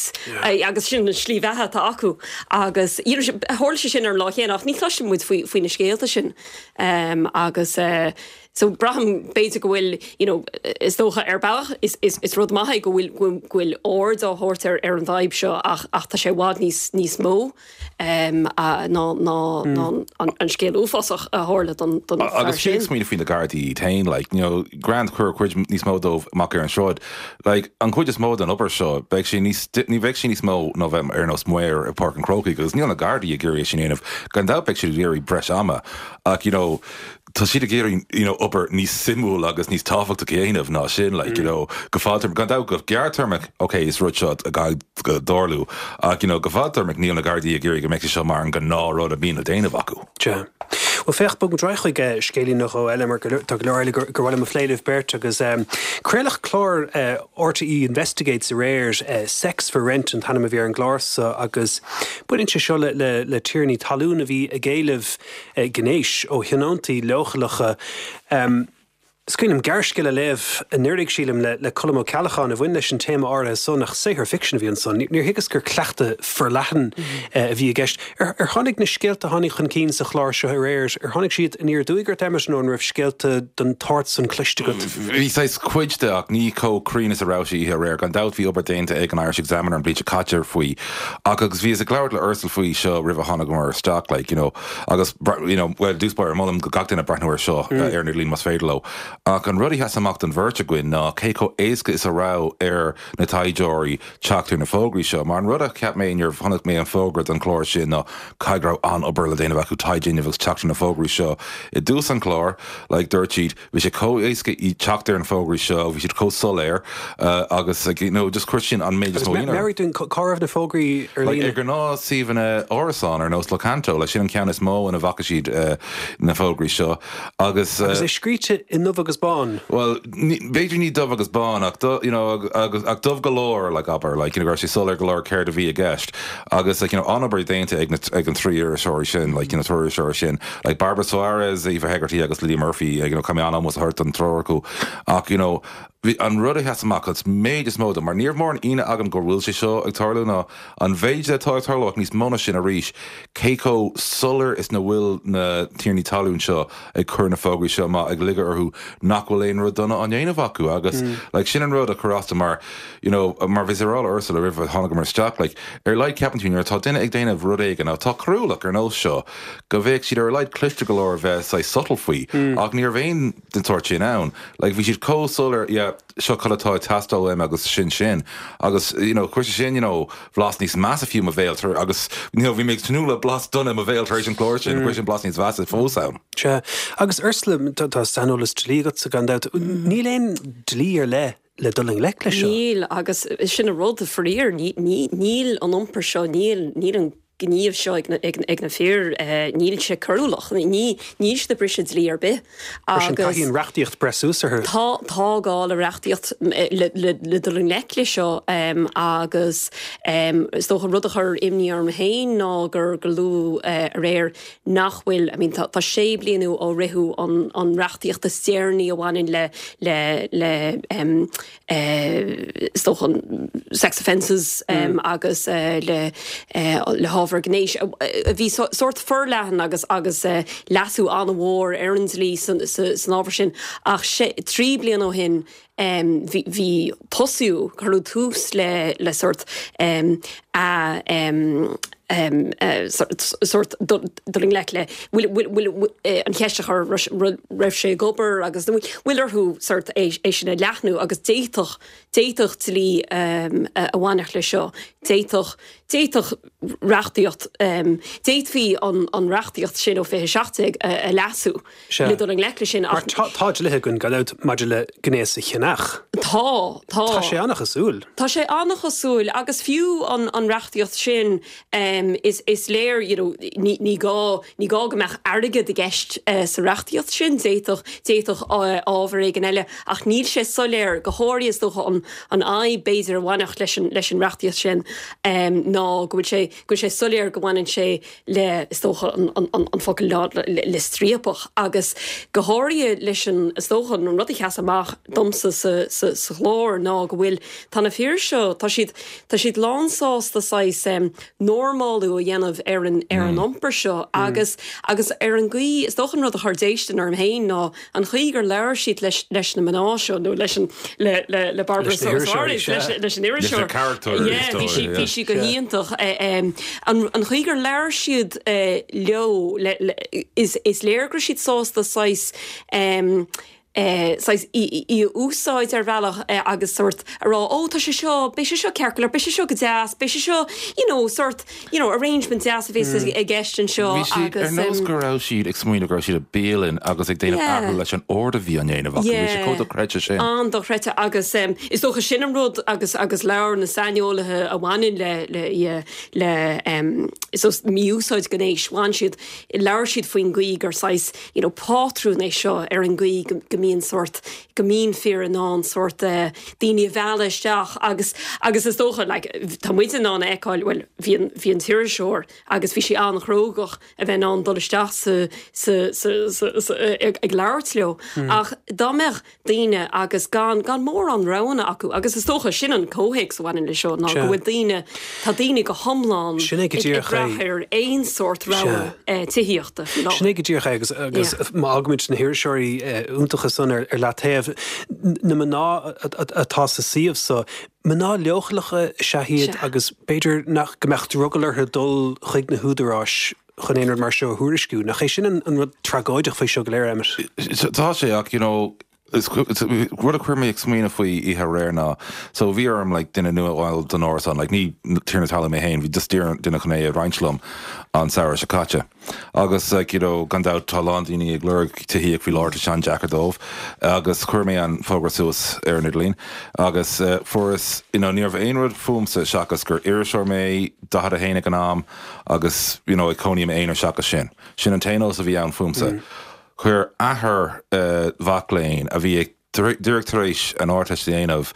agus sin an slí bheatha atá acu agus you know tharla sé sin ar an lá chéanna ach ní chloiseann muid faoi faoi na scéalta sin agus so braithim b'fhéidir go bhfuil you know is dócha ar bealach is is is rud maith é go bhfuil go bhfuil aird á thabhairt ar ar an bhfadhb seo ach ach tá sé i bhfad níos níos mó. ná an scéal uafásach a tharla don fear sin. Agus fiú ag smaoineamh faoi na Gardaí iad féin, like, you know, grand cuir cuid níos mó dóibh amach ar an sráid. Like, an chuid is mó den obair seo, beidh sé níos, ní bheidh sé níos mó ná bheith ar nós maor i Páirc an Chrócaigh agus níl na Gardaí ag iarraidh é sin a dhéanamh. Gan dabht beidh siad ag iarraidh breis ama ach, you know, tá siad ag iarraidh you know obair níos suimiúil agus níos tábhachtaí a dhéanamh ná sin like you know go fadtéarmach gan dabht go gearrtéarmach ok is rud seo a gcaithfidh tarlú ach you know go fadtéarmach níl na Gardaí ag iarraidh go mbeidh sé seo mar an gnáth rud a bhíonn le déanamh acu. Sea. Bhuel féach, bogfaidh muid ar aghaidh chuig scéilín nó dhó eile mar tá go leor eile gur mhaith liom a phlé libh beirt agus craoladh clár RTÉ Investigates aréir, Sex for Rent an t-ainm a bhí ar an gclár so agus baineann sé seo le le tiarnaí talún a bhí ag éileamh gnéis ó thionóntaí leochaileacha. Is cuimhin liom gearrscéal a léamh anuraidh, sílim, le Colm Ó Ceallacháin a bhain leis an téama áirithe san, ach saothar ficsin a bhí ansan. Níor thuigeas gur cleachtadh forleathan a bhí i gceist. Ar tháinig na scéalta a tháinig chun cinn sa chlár seo aréir, ar tháinig siad aniar aduaidh ort, Emmet, nó an raibh scéalta den tsórt san cloiste agat? Bhí saghas cuid de, ach ní chomh cruinn is a raibh sé oíche aréir. Gan dabht bhí obair déanta ag an Irish Examiner an bhliain seo caite faoi, ach agus bhíos ag labhairt le Ursula faoi seo roimh a tháinigeamar isteach, like, you know, Agus, you know, bhuel, i dtús báire, molaim go gach duine breathnú air seo ar an idirlíon más féidir leo. Ach an rud a sheas amach don bheirt againn ná cé chomh éasca is a raibh ar na taighdeoirí teacht ar na fógraí seo. Mar an rud a cheap mé nuair a chonaic mé an fógra don chlár sin ná caithfidh go raibh an-obair le déanamh acu taighde a dhéanamh agus teacht ar na fógraí seo. I dtús an chláir, like, dúirt siad, Bhí sé chomh éasca teacht ar na fógraí seo, bhí siad chomh soiléir agus like you know just chuir sin an méid is mó ionadh orm. Meabhraigh dúinn, cá raibh na fógraí ar líne? Like ar ghnáth-suíomhanna árasán ar nós Locanto, like sin an ceann is mó ina bhfaca siad na fógraí seo agus. Agus é scríte i ndubh agus bán. Bhuel, b'fhéidir ní dubh agus bán ach you know agus ach dubh go leor like abair like you know go raibh sé soiléir go leor céard a bhí i gceist agus like you know an-obair déanta ag na ag an trí iriseoirí sin like you know triúr iriseoirí sin Like Barbara Soares, Aoife Hegarty agus Lydia Murphy, you know, caithfidh mé an-ómós a thabhairt don triúr acu ach, you know, Bhí an rud a sheas amach an méid is mó dom, mar ní raibh mórán ionadh agam go bhfuil sé seo ag tarlú, ná an mhéid atá ag tarlú ach níos mó ná sin arís, cé chomh soiléir is na bhfuil na tiarnaí talún seo ag cur na fógraí seo amach ag ligeadh orthu nach bhfuil aon rud dona á ndéanamh acu agus like sin an rud a chuir as dom mar you know mar bhíos ag rá le Ursula roimh a tháinigeamar isteach like ar a laghad ceapann tú nuair atá duine ag déanamh rud éigin atá coiriúlach ar nós seo go bheadh siad ar a laghad cliste go leor a bheith saghas subtle faoi ach ní raibh aon den tsórt sin ann. Like, bhí siad chomh soiléir, yeah, seo cad atá ag teastáil uaim agus sin sin. Agus, you know, chuir sé sin, you know, blas níos measa fiú i mo bhéal tar, agus, you know, bhí mé ag tnúth le blas dona i mo bhéal tar éis an chláir sin, chuir sin blas níos mheasa fós ann. Sea. Agus Ursula, tá, tá saineolas dlí agatsa gan dabht. Níl aon dlí ar leith le dul i ngleic leis seo? Níl, agus sin an rud, faraor, ní, ní, níl an iompar seo, níl, níl an gníomh seo ag na fir, níl sé coiriúlach, níl siad ag briseadh dlí ar bith. Mar sin, caithfidh an reachtaíocht breith suas orthu. Tá, tá gá le reachtaíocht le dul i ngleic leis seo agus is dócha rud a chuir imní orm féin ná gur luadh aréir nach bhfuil, I mean tá sé bliana ó ritheadh an reachtaíocht is deireanaí a bhaineann le le le is dócha an sex offences agus le le hábhar gnéis a bhí sórt forleathan agus agus leasú an-mhór ar an dlí san ábhar sin ach sé 3 bliana ó shin bhí bhí tosaíodh cuireadh tús le le sórt a sórt dul i ngleic le bhfuil an cheist a chur raibh sé ag obair agus bhfuil orthu sórt é sin a leathnú agus d'fhéadfadh d'fhéadfadh dlí a bhainfeadh leis seo d'fhéadfadh d'fhéadfadh reachtaíocht d'fhéadfaí an reachtaíocht sin ó 2017 a leasú. Sea. Le dul i ngleic leis sin ach. Mar tá dlíthe againn gan dabht maidir le gnéas a cheannach. Tá, tá. Tá sé an-chosúil. Tá sé an-chosúil agus fiú an an reachtaíocht sin is is léir you know ní ní gá ní gá go mbeadh airgead i gceist sa reachtaíocht sin, d'fhéadfadh d'fhéadfadh ábhar éigin eile ach níl sé soiléir, go háirithe is dócha an an fhadhb b'fhéidir a bhainfeadh leis an leis an reachtaíocht sin ná go bhfuil sé go bhfuil sé soiléir go mbaineann sé le, is dócha, an focal le striapach agus go háirithe leis an, is dócha, an rud a sheas amach domsa sa chlár ná go bhfuil, tá na fir seo, tá siad, tá siad lánsásta saghas normálú a dhéanamh ar an, ar an iompar seo agus, agus ar an gcaoi, is dócha an rud a chuir déistin orm féin ná an chaoi gur labhair siad leis, leis na mná seo nó leis an, le, le, le Barbara Leis na hiriseoirí, Soares, leis, sea. leis an iriseoir. Leis na carachtair, Yeah, is bhí dóigh, sí, yeah. bhí sí go hiontach. An, an chaoi gur labhair siad leo, le, le, is, is léir go raibh siad sásta saghas, saghas í, í a úsáid ar bhealach agus sórt a rá, ó tá sé seo, beidh sé seo ceart go leor, beidh sé seo go deas, beidh sé seo, you know, sórt, you know, arrangement deas a bheas i gceist anseo Bhí siad agus. ar nós go raibh siad ag smaoineamh go raibh siad i bialann agus ag déanamh Yeah. athrú leis an ord a bhí á ndéanamh acu. Bhí sé chomh Yeah. dochreidte sin. An-dochreidte agus is dócha sin an rud agus agus labhair na saineolaithe a bhaineann le le yeah, le is dócha mí-úsáid gnéis, bhain siad, labhair siad faoin gcaoi gur saghas you know pátrún é seo ar an gcaoi go go mbíonn sórt go mbíonn fir in ann sórt daoine a mhealladh isteach agus agus is dócha like tá muid in ann a fheiceáil bhuel bhí an bhí an t-iriseoir agus bhí sí an-chrógach a bheith in ann dul isteach sa sa sa sa sa ag ag labhairt leo ach dá mbeadh daoine agus gan gan mórán roghanna acu agus is dócha sin an comhthéacs a bhaineann leis seo ná go bhfuil daoine tá daoine go hiomlán Sin é go ag díreach brath é. ar aon sórt rogha tithíochta faoi láthair. Sin é go díreach é agus agus má fhágaimid na hiriseoirí iontacha san ar ar leataobh, na mná atá sa suíomh so, mná leochaileacha is ea iad agus b'fhéidir nach go mbeadh drogall orthu dul chuig na húdaráis chun aon rud mar seo a thuairisciú. Nach é sin an rud tragóideach faoi seo go léir, Emmet? Tá sé, ach you know, is rud a chuir mé ag smaoineamh faoi oíche aréir ná, so bhí orm like duine nua a fháil don árasán, like ní tiarna talún mé féin, bhí just duine chun é a roinnt liom an samhradh seo caite. Agus like you know, gan dabht tá a lán daoine ag lorg tithíocht faoi láthair, tá sé an-deacair dóibh. Agus chuir mé an fógra suas ar an idirlíon agus fuaireas, you know, ní raibh aon rud fúmsa seachas gur iriseoir mé, 41 ag an am, agus you know ag cónaí i m'aonar seachas sin. Sin an t-aon eolas a bhí ann fúmsa. Chuir athair mhac léinn a bhí ag. Díreach tar éis an Ardteist a dhéanamh,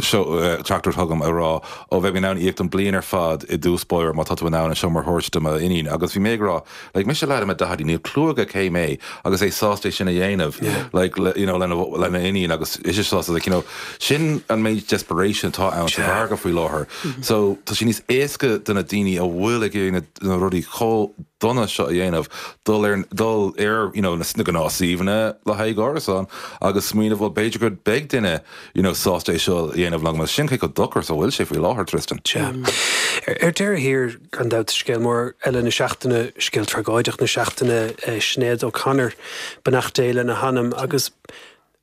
seo teachtaireacht chugam ag rá, ó bheidh mé in ann íoc don bliain ar fad i dtús báire má tá tú in ann an seomra a thabhairt do m'iníon. Agus bhí mé ag rá, like, mise leaid i mo daichidí, níl clue aige cé mé agus é sásta é sin a dhéanamh, like, you know, lena, lena iníon agus ise sásta, like, you know, sin an méid desperation atá ann sa mhargadh faoi láthair. So, tá sé níos éasca do na daoine a bhfuil ag iarraidh na, na rudaí chomh dona seo a dhéanamh, dul ar, dul ar, you know, na gnáthshuíomhanna le haghaidh árasán agus smaoineamh, bhuel, b'fhéidir go beidh duine, you know, sásta é seo a dhéanamh liom. Sin cé chomh dochar is a bhfuil sé faoi láthair, Tristan. Sea. Ar deireadh thiar, gan dabht, scéal mór eile na seachtaine, scéal tragóideach na seachtaine, Sinéad O'Connor, beannacht Dé lena hanam, agus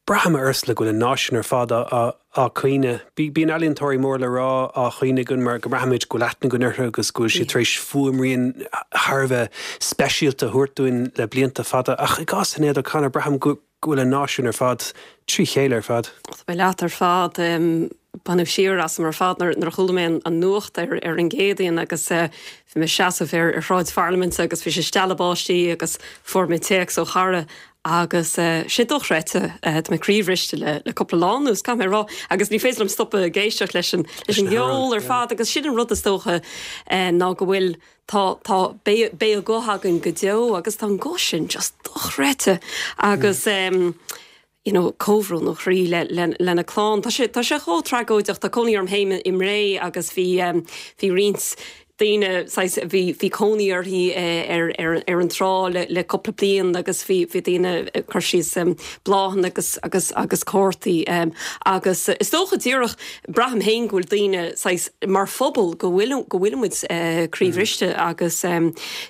Braithim, a Ursula, go bhfuil an náisiún ar fad á caoineadh. Bíonn ealaíontóirí mór le rá á chaoineadh againn mar go mbraithimid go bhfuil aithne againn orthu agus go bhfuil siad tar éis fuaimrian thar a bheith speisialta a thabhairt dúinn le blianta fada. Ach i gcás Shinéad O'Connor, braithim go bhfuil an náisiún ar fad trí chéile ar fad. Tá mé leat ar fad. Baineadh siar asam ar fad nuair a chuala mé an nuacht ar an gCéadaoin agus bhí mé ag seasamh ar Shráid Pharlaiminte agus bhí sé ag stealladh báistí agus fuair mé téacs ó chara Agus sé dochreidte, tá mé croíbhriste le le cúpla lá anuas, caithfidh mé a rá, agus ní féidir liom stopadh ag éisteacht leis an leis an gceol ar fad agus sin an rud is dócha ná go bhfuil, tá, tá, beidh, beidh a guth againn go deo agus tá an guth sin just dochreidte agus you know comhbhrón ó chroí le le lena clann. Tá sé, tá sé chomh tragóideach, tá cónaí orm féin i mBré agus bhí bhí roinnt daoine, saghas, bhí, bhí cónaí uirthi ar, ar, ar an trá le, le cúpla bliain agus bhí, bhí daoine ag cur síos bláthanna agus, agus, agus cártaí agus is dócha díreach, braithim féin go bhfuil daoine, saghas, mar phobal go bhfuil, go bhfuil muid croíbhriste agus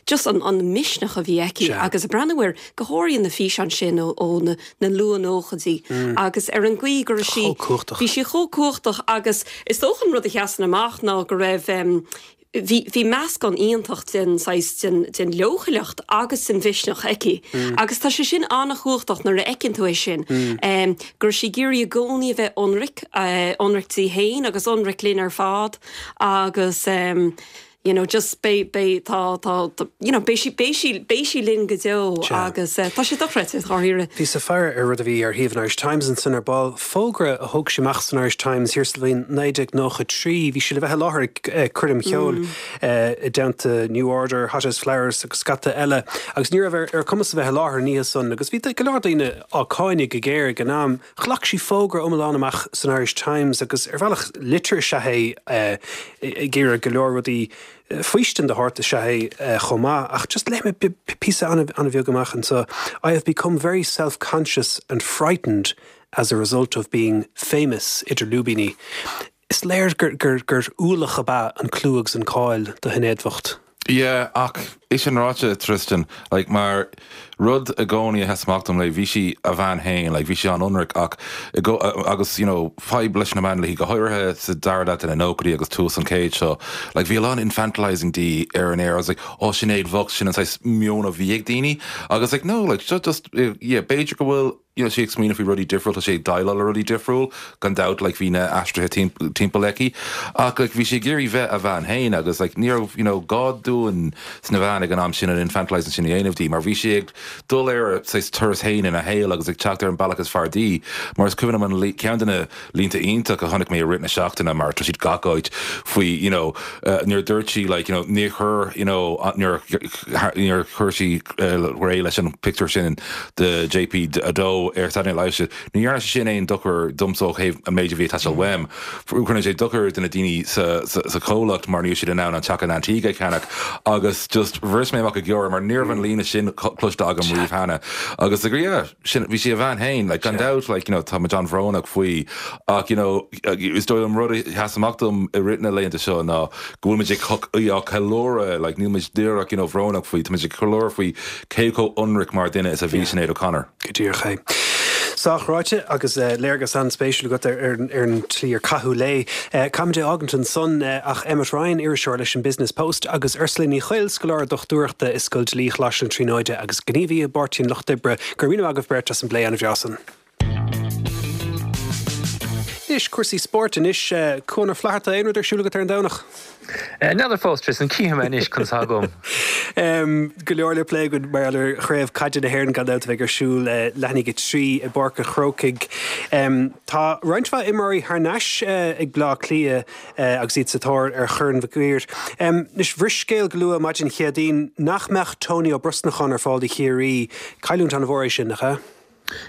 just an, an misneach a bhí aici agus ag breathnú ar, go háirithe na físeáin sin ó, ó na, na luath-nóchaidí agus ar an gcaoi go raibh sí, bhí sí chomh cumhachtach agus is dócha an rud a sheasann amach ná go raibh, bhí, bhí meascán iontach den saghas, den, den leochaileacht agus den mhisneach aici agus tá sé sin an-chumhachtach nuair a fheiceann tú é sin, go raibh sí ag iarraidh i gcónaí a bheith ionraic, ionraic di féin agus ionraic linn ar fad agus. you know, just beidh, beidh, tá, tá, you know, beidh sí, beidh sí, beidh sí linn go deo agus tá sé dochreidte, dháiríre. Bhíos ag faire ar rud a bhí ar shuíomh an Irish Times ansan ar ball, fógra a thug sí amach san Irish Times thiar sa bhliain 1993. Bhí sí le bheith i láthair ag coirm cheoil i dteannta New Order, Hothouse Flowers agus scata eile agus ní raibh ar a cumas a bheith i láthair an oíche san agus bhí go leor daoine á cáineadh go géar ag an am. Ghlac sí fógra iomlán amach san Irish Times agus ar bhealach litir is ea é ag iarraidh go leor rudaí, faoistin de shórt is ea é chomh maith. Ach just léifidh mé píosa an-bheag amach anseo, I have become very self-conscious and frightened as a result of being famous, idir lúibíní. Is léir gur ualach ab ea an clú agus an cáil do Shinéad bhocht. Yeah, ach é sin ráite, Tristan, like, mar rud i gcónaí a sheas amach dom léi, bhí sí a bhean féin, like, bhí sí an-ionraic ach i gco-, agus, you know, fadhb leis na meáin léi, go háirithe sa dara leath de na nóchaidí agus tús an chéid seo, like, bhí a lán infantilising di ar an aer, I was like, oh, Sinéad bhocht, sin an saghas meon a bhí ag daoine, agus like, no, like, just, just, yeah, b'fhéidir go bhfuil, you know, sí ag smaoineamh faoi rudaí difriúil, tá sí ag déileáil le rudaí difriúil, gan dabht, like, bhí na aistrithe timpeall aici, ach, like, bhí sí ag iarraidh bheith a bhean féin agus, like, ní raibh, you know, gá dúinn sna meáin ag an am sin an infantilising sin a dhéanamh di, mar bhí sí ag dul ar a saghas turas féin ina shaol agus ag teacht ar an bealach is fearr di, mar is cuimhin liom an ceann de na línte iontach a chonaic mé i rith na seachtaine, mar tá siad gach áit, faoi, you know, nuair a dúirt sí, like, you know, níor chuir, you know, níor, níor chuir sí réidh leis an pictiúr sin de JP2 ar Saturday Night Live, sí, ní dhearna sé sin aon dochar domsa ó thaobh an méid a bhí ag teastáil uaim. Rinne sé dochar do na daoine sa, sa, sa chomhlacht mar ní raibh siad in ann an teach in Antigua a cheannach agus just bhris mé amach ag gáire mar ní raibh an líne sin cloiste agam riamh cheana. Agus like, yeah, sin, bhí sí a bhean féin, like, gan dabht, like, you know, tá muid an-bhrónach faoi ach, you know, is dóigh liom rud a sheas amach dom i rith na laethanta seo ná go bhfuil muid ag í á ceiliúradh, like, níl muid díreach, you know, bhrónach faoi, tá muid ag ceiliúradh faoi cé chomh ionraic mar dhuine is a bhí Sinéad O'Connor. Go díreach é. Sách ráite agus léargas an-spéisiúil agat ar an tslí ar caitheadh léi. Caithfimid é fhágaint ansan ach Emmet Ryan, iriseoir leis an Business Post, agus Ursula Ní Chuill, scoláire dochtúireachta i Scoil Dlí Choláiste na Tríonóide agus gníomhaí i bPáirtí an Lucht Oibre, go raibh míle maith agaibh beirt as an bplé an-bhreá san. Anois, cúrsaí spóirt anois. Cuan Ó Flatharta, aon rud ar siúl agat ar an Domhnach? N'fheadar fós, Tristan, cífidh mé anois conas atá agam. Go leor le plé againn mar gheall ar Chraobh Caide na hÉireann gan dabht a bheidh ar siúl leath i ndiaidh a 3 i bPáirc an Chrócaigh. Tá roinnt mhaith imreoirí thar n-ais ag Bleá Cliath agus iad sa tóir ar Chorn Mhic Uidhir. Anois, bhris scéal go luath maidin Chéadaoin nach mbeadh Tony Ó Brosnacháin ar fáil do Chiarraí. Cailliúint an-mhór é sin, nach ea?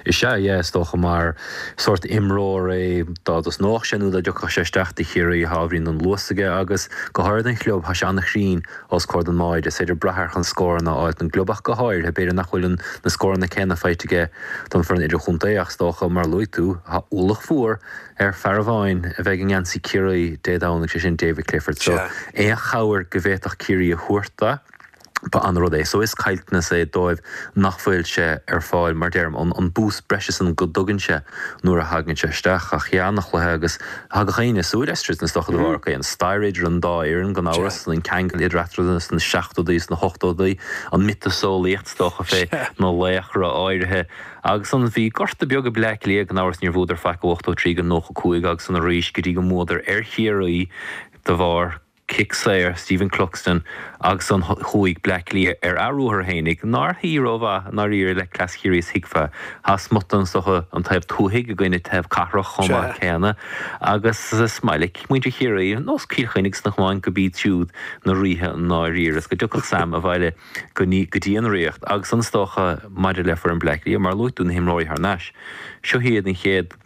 Is ea, yeah, is dócha, mar sórt imreoir é, dá dtosnódh sé nó dá dtiocfadh sé isteach do Chiarraí, tá ábhairín den luas aige agus, go háirithe don chlub, tá sé an-chruinn os comhair don mbáide. Is féidir brath air chun scóranna a fháilt don gclub ach go háirithe. B'fhéidir nach bhfuil na scóranna céanna faighte aige don foireann idirchontae ach is dócha, mar a luaigh tú, tá ualach mhór ar fear amháin a bheidh i ngeansaí Chiarraí Dé Domhnaigh, sé sin David Clifford. So, aon chabhair go bhféadfadh Ciarraí a thabhairt do, Ba an-rud é. So is caillteanas é dóibh nach bhfuil sé ar fáil, mar deirim, an boost breise san go dtugann sé nuair a thagann sé isteach. Ach yeah, an-chluiche agus thagadh éinne súil leis, is dócha, de bharr ok, an stair idir an dá fhoireann gan amhras, an ceangal idir eatarthu sna seachtóidí is na hochtóidí, an miotaseolaíocht is dócha fé na laochra áirithe. Agus an bhí gorta beag ag Bleá Cliath gan amhras níor bhuadar faic ó 83 go 95 agus san arís go dtí go mbuadar ar Chiarraí de bharr cic saor Stephen Cluxton agus an chuaigh Bleá Cliath ar a ruathar fhéinig, nár shuigh rómhaith i ndáiríre le cleas Chiarraí is thuigfeá. Tá smut is dócha an taobh tuathaigh i gcoinne taobh cathrach chomh maith céanna agus is maith le muintir Chiarraí, nós Cill Chainnigh sna camáin, go b'iad siúd na ríthe i ndáiríre is go dtiocfadh Sam abhaile go dtí an Ríocht agus an is dócha maidir le foireann Bleá Cliath, mar a luaigh tú na himreoirí thar n-ais, seo iad an chéad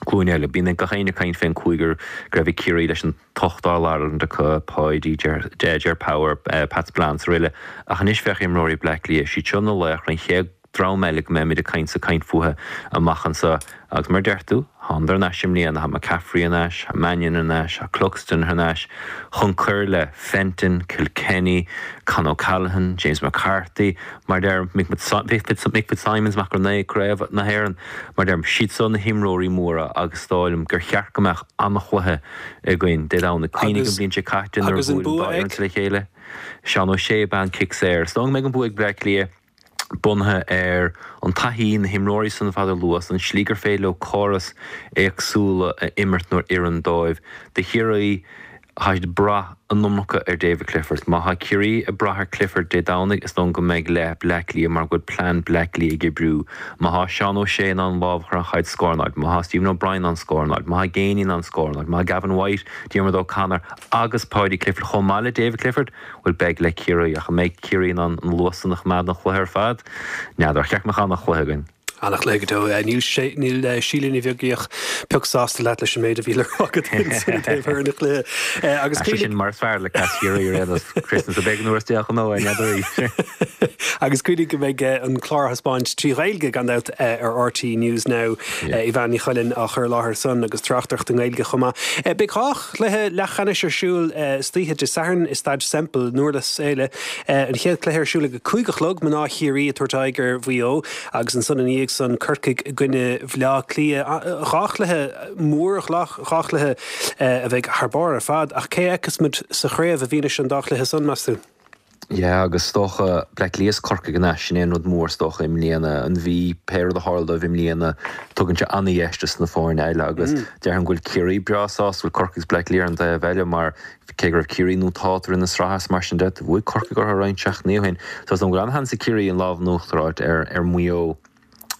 glúin eile. Bíonn gach éinne ag caint fén cúigear go raibh ag Ciarraí leis an t-ocht All-Ireland acu, Páidí, Ger Power, Pat Spillane is araile. Ach anois féach imreoirí Bleá Cliath, siad seo na laochra, an chéad dream eile go mbeimid ag caint ag caint fúthu amach anseo. Agus mar a deir tú, thánadar thar n-ais i mbliana, tá McCaffrey thar n-ais, tá Mannion thar n-ais, tá Cluxton thar n-ais, chun cur le Fenton, Kilkenny, Con O'Callaghan, James McCarthy, mar a deirim, Mick Fitzsimons, Mac Ó Craobh na hÉireann, mar a deirim, siad seo na himreoirí móra agus is dóigh liom gur cheart go mbeadh an-chluiche againn Dé Domhnaigh. Cuimhnigh an bhliain seo caite nuair a Agus an bhuail an dá bua fhoireann ag? le chéile. Seán Ó Sé ab ea an cic saor. Is dóigh go mbeidh an bua ag Bleá Cliath bunaithe ar an taithí, na himreoirí san ar fad a luas, an slí gur féidir leo córas éagsúla a imirt nuair oireann dóibh. Do Chiarraí, Tá siad ag brath an iomarca ar David Clifford. Má tá Ciarraí ag brath ar Clifford Dé Domhnaigh, is dóigh go mbeidh le Bleá Cliath mar go bhfuil plean Bleá Cliath ag oibriú. Má tá Seán O'Shea in ann lámh a chur ar an chaid scór a fháil, má tá Stephen O'Brien in ann scór a fháil, má tá Geaney in ann scór a fháil, má tá Gavin White, Diarmuid O'Connor agus Paudie Clifford chomh maith le David Clifford, bhuel beidh le Ciarraí. Ach an mbeidh Ciarraí in ann an luas san a choimeád an chluiche ar fad? N'fheadar. Ach cheart go mbeadh an-chluiche againn. An-chluiche go deo. Níl níl Síle Ní Bheaglaoich pioc sásta leat leis an méid a bhí le rá agat ansin i dtaobh thoradh an chluiche. Agus Sé sin mar is fearr le cleas Chiarraí ar aon nós. Christmas a bheidh an uair is déanaí nó n'fheadar í. Agus cuimhnigh go mbeidh an clár á thaispeáint trí Ghaeilge gan dabht ar RTÉ News Now. Yvonne Ní Choileáin á chur i láthair san agus tráchtaireacht i nGaeilge chomh maith. Beidh 2 chluiche leathcheannais ar siúl istoíche Dé Sathairn i Staid Semple i nDurlas Éile. An chéad chluiche ar siúl ag a 5 a chlog, mná Chiarraí ag tabhairt aghaidh ar Mhaigh Eo. Agus ansan ina dhiaidh san, Corcaigh i gcoinne Bhleá Cliath. 2 chluiche mór, 2 chluiche a bheidh thar barr ar fad. Ach cé a fheicfeas muid sa chraobh i bhfianaise an dá chluiche san, meas tú? Yeah, agus is dócha, Bleá Cliath is Corcaigh an ea, sin é an rud mór is dócha i mbliana. An Mhí, pé rud a tharla dóibh i mbliana, tugann sé an-dheis dos na foirne eile agus déarfainn go bhfuil Ciarraí breá sásta, go bhfuil Corcaigh is Bleá Cliath ar an taobh eile mar Cé go raibh Ciarraí nótálta i rith na sraithe is mar sin de, bhuaigh Corcaigh orthu roinnt seachtainí ó shin. So is dóigh go bhfuil an-sheans ag Ciarraí an lámh in uachtar a fháilt ar Mhaigh Eo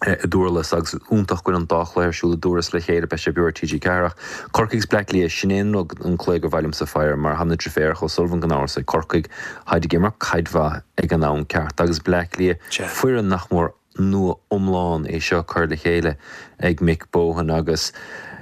i nDurlas agus iontach go bhfuil an dá chluiche ar siúl i nDurlas le chéile, beidh sé beo ar TG4. Ach Corcaigh is Bleá Cliath, sin é an rud, an cluiche gur mhaith liomsa faire mar tá na driféaracha O'Sullivan gan amhras ag Corcaigh, táid ag imirt caid mhaith ag an am ceart agus Bleá Cliath, foireann nach mór nua iomlán é seo curtha le chéile ag Mick Bohan agus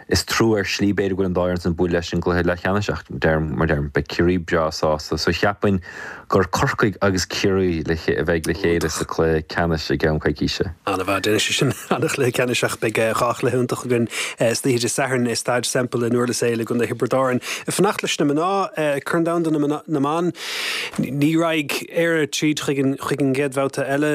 is trua ar shlí b'fhéidir go bhfuil an dá fhoireann san bualadh leis an gcluiche leathcheannais ach deirim mar deirim beidh Ciarraí breá sásta so cheapfainn gur Corcaigh agus Ciarraí le a bheidh le chéile sa cluiche ceannais i gceann coicíse. An-mhaith, déanfaidh sé sin an-chluiche ceannais ach beidh 2 chluiche iontach againn istoíche Dé Sathairn i Staid Semple i nDurlas Éile i gContae Thiobraid Árann. Fanacht leis na mná, Corn Domhanda na mBan. Ní raghaidh Éire tríd chuig an gcéad bhabhta eile,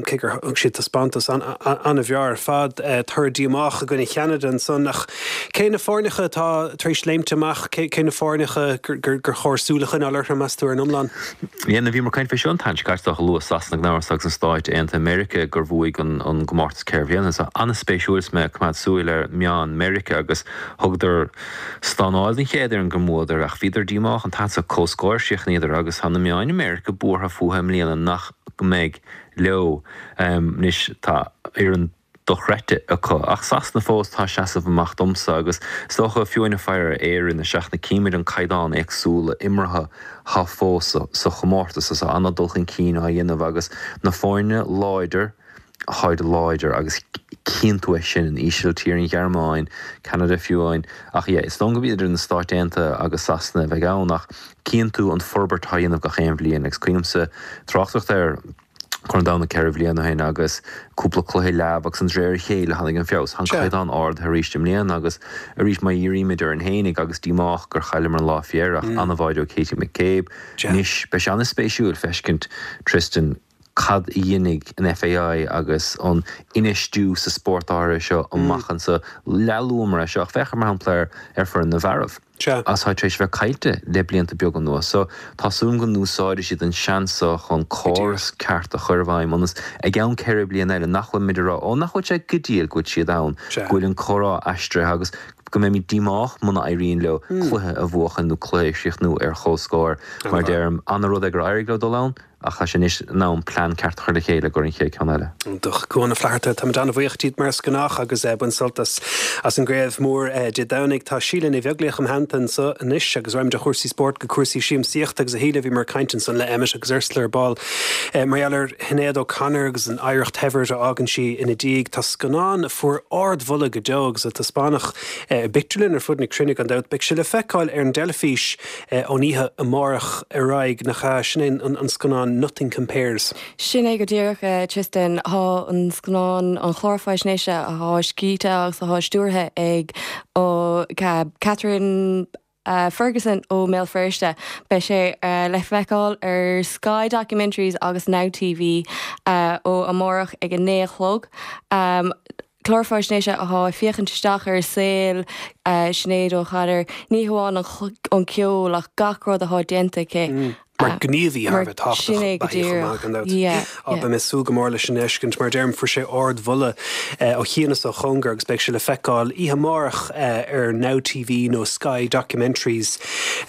cé gur thug siad taispeántas an-bhreá ar fad. Toradh díomách i gcoinne Cheanada ansan ach. Cé na foirneacha atá tar éis léimt amach? Cé na foirneacha gur chóir súil a choinneáil orthu, meas tú, ar an iomlán? Yeah, now bhíomar ag caint fé seo an tseachtain seo caite, is dócha, luadh Sasana gan amhras agus na Stáit Aontaithe Meiriceá gur bhuaigh an gcomórtas ceithre bhliana. So an-spéisiúil is mé ag coimeád súil ar meáin Meiriceá agus thugadar stánáil don chéad fhoireann go mbuadar ach bhíodar díomách an t-am seo comhscór a chríochnaíodar agus tá na meáin i Meiriceá buartha fúthu i mbliana nach mbeidh leo. Anois tá fhoireann dochreidte acu. Ach Sasana fós atá ag seasamh amach domsa agus is dócha fiú amháin ag faire ar Éirinn isteach na címid an caighdeán éagsúla imeartha thá fós sa chomórtas is tá an-dul chun cinn á dhéanamh agus na foirne láidir tháid láidir agus cíonn tú é sin an Ísiltír, an Ghearmáin, Ceanada fiú amháin ach yeah is dóigh gurb idir na Stáit Aontaithe agus Sasana a bheidh ann ach cíonn tú an forbairt atá á dhéanamh gach aon bhliain agus cuimhnímse tráchtaireacht ar Corn an Domhain 4 bhliain ó shin agus cúpla cluiche leamh agus de réir a chéile tháinig an feabhas. Tá an caighdeán ardaithe arís i mbliana agus arís má dhírímid orainn fhéinig agus díomách gur chailleamar an lá faoi dheireadh ach an-bháide ó Katie McCabe. Anois beidh sé an-spéisiúil feiscint Tristan cad a dhéanfaidh an FAI agus an infheistiú sa spórt áirithe seo amach anseo. Leath-luamar é seo ach féach mar shampla ar foireann na bhfearaibh. Sea. Atá tar éis a bheith caillte le blianta beaga anuas. So, tá súil agam go n-úsáidfidh siad an seans seo chun córas ceart a chur i bhfeidhm ionas i gceann 4 bliana eile nach bhfuil muid ag rá 'Ó, nach bhfuil sé go diail go bhfuil siad ann', Sea. go bhfuil an comhrá aistrithe agus go mbeimid díomách muna éiríonn leo cluiche a bhuachan nó cluiche a chríochnú ar chomhscór. Mar a deirim, an-rud é gur éirigh leo dul ann. Ach tá sé anois in am plean ceart a chur le chéile i gcomhair an chéad ceann eile. Iontach. Cuán Ó Flatharta, táimid an-bhuíoch díot mar is gnách agus bain sult as as an gcraobh mhór Dé Domhnaigh. Tá Síle Ní Bheaglaoich im theannta anseo anois agus raghaimid ó chúrsaí spóirt go cúrsaí siamsaíochta agus a Shíle bhíomar ag caint ansan le Emmet agus Ursula ar ball mar gheall ar Shinéad O'Connor agus an oidhreacht shaibhir a fhágann sí ina diaidh. Tá scannán a fuair ardmholadh go deo agus a taispeánadh i bpictiúrlanna ar fud na cruinne gan dabht. Beidh sé le feiceáil ar an dteilifís Ón oíche amárach ar aghaidh, nach ea? Sin é an scannán Nothing Compares. Sin é go díreach, Tristan. Tá an scannán, an clár faisnéise atá scríte agus atá stiúrtha ag Catherine Ferguson ó mBéal Feirste. Beidh sé le feiceáil ar Sky Documentaries agus Now TV ó amárach ag a naoi a chlog. Clár faisnéise atá ag féachaint isteach ar saol Sinéad O'Connor, ní hamháin an ceol ach gach rud atá déanta aici. Mar gníomhaí thar a bheith tábhachtach Sin é go ba í chomh maith, gan díreach. dabht. Yeah, Á, yeah. beidh mé ag súil go mór leis an fheiscint. Mar a deirim, fuair sé ardmholadh ó chian is ó chóngar agus beidh sé le feiceáil oíche amárach ar Now TV nó Sky Documentaries.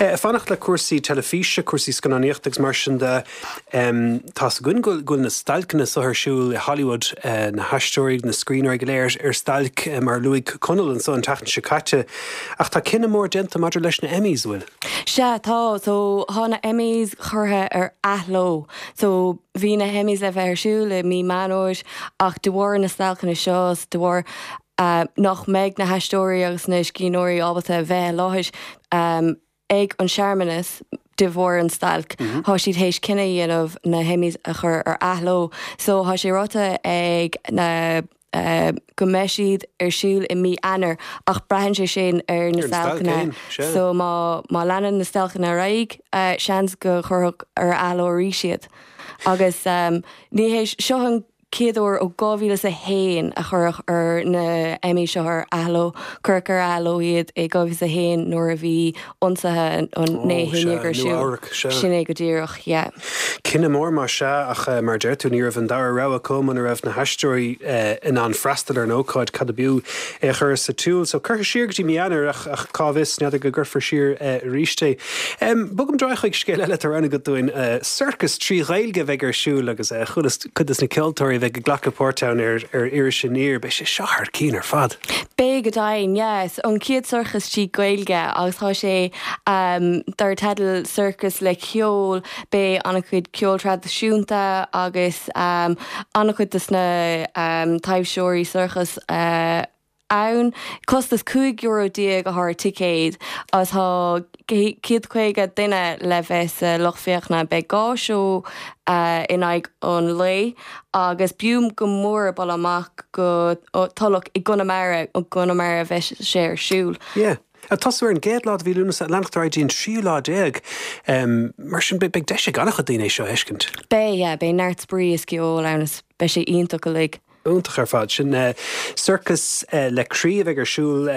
Ag fanacht le cúrsaí teilifíse, cúrsaí scannánaíochta agus mar sin de, Tá's againn go bhfuil na stailceanna seo ar siúl i Hollywood, na haisteoirí, na scríbhneoirí go léir ar stailc, mar a luaigh Conall anso an tseachtain seo caite. Ach tá cinneadh mór déanta maidir leis na Emmys, an bhfuil? Sea, tá. So, tá na Emmys curtha ar athló. So, bhí na hEmmys le bheith ar siúl i mí Meán Fhómhair ach de bharr na stailceanna seo, de bharr nach mbeidh na haisteoirí agus na scríbhneoirí ábalta a bheith i láthair, ag an searmanas de bharr an stailc. Tá siad théis cinneadh a dhéanamh na hEmmys a chur ar athló. So tá sé ráite ag na go mbeidh siad ar siúl i mí Eanáir ach braitheann sé sin ar na stailceanna. So má má leanann na stailceanna ar aghaidh, seans go gcuirfeadh ar athló arís iad. Agus ní hé seo an chéad uair ó 2001 a cuireadh ar na Emmys seo ar athló. Cuireadh ar athló iad i 2001 nuair a bhí ionsaithe an naoi Ó, haon sea, déag ar siúl. Nua-Eabhrac, sea. Sin é go díreach, yeah. Cinneadh mór más ea, ach mar a deir tú, ní raibh an dara rogha acu muna raibh na haisteoirí in ann freastal ar an ócáid, cad ab fhiú é a chur sa tsiúl? So, curtha siar go dtí mí Eanáir ach ach cá bhfios, n'fheadar go gcuirfear siar arís é. Bogaim ar aghaidh chuig scéal eile atá roghnaithe agat dúinn, sorcas 3 Ghaeilge a bheidh ar siúl agus chualas cuid des na ceoltóirí a bheidh ag glacadh páirt ann ar ar Iris Aniar. Beidh sé seo thar cinn ar fad! Beidh go deimhin, yes. An chéad sorcas trí Ghaeilge agus tá sé dar teideal Sorcas le Ceol. Beidh an-chuid ceol traidisiúnta agus an-chuid des na taibhseoirí sorcais ann. Costas €15 atá ar ticéad agus tá 150 duine le bheith sa lucht féachana. Beidh 2 seó in aghaidh an lae agus b'fhiú go mór dul amach go Tulach i gConamara, i gConamara a bheidh sé ar siúl. Yeah. Ag tosú ar an gcéad lá de mhí Lúnasa, leanacht ar aghaidh dtí an tríú lá déag. Mar sin, beidh deis ag an-chuid daoine é seo a fheiscint. Beidh, yeah. Beidh neart spraoi is ceol ann is beidh sé iontach uilig. Iontach ar fad. Sin Sorcas le Croí a bheidh ar siúl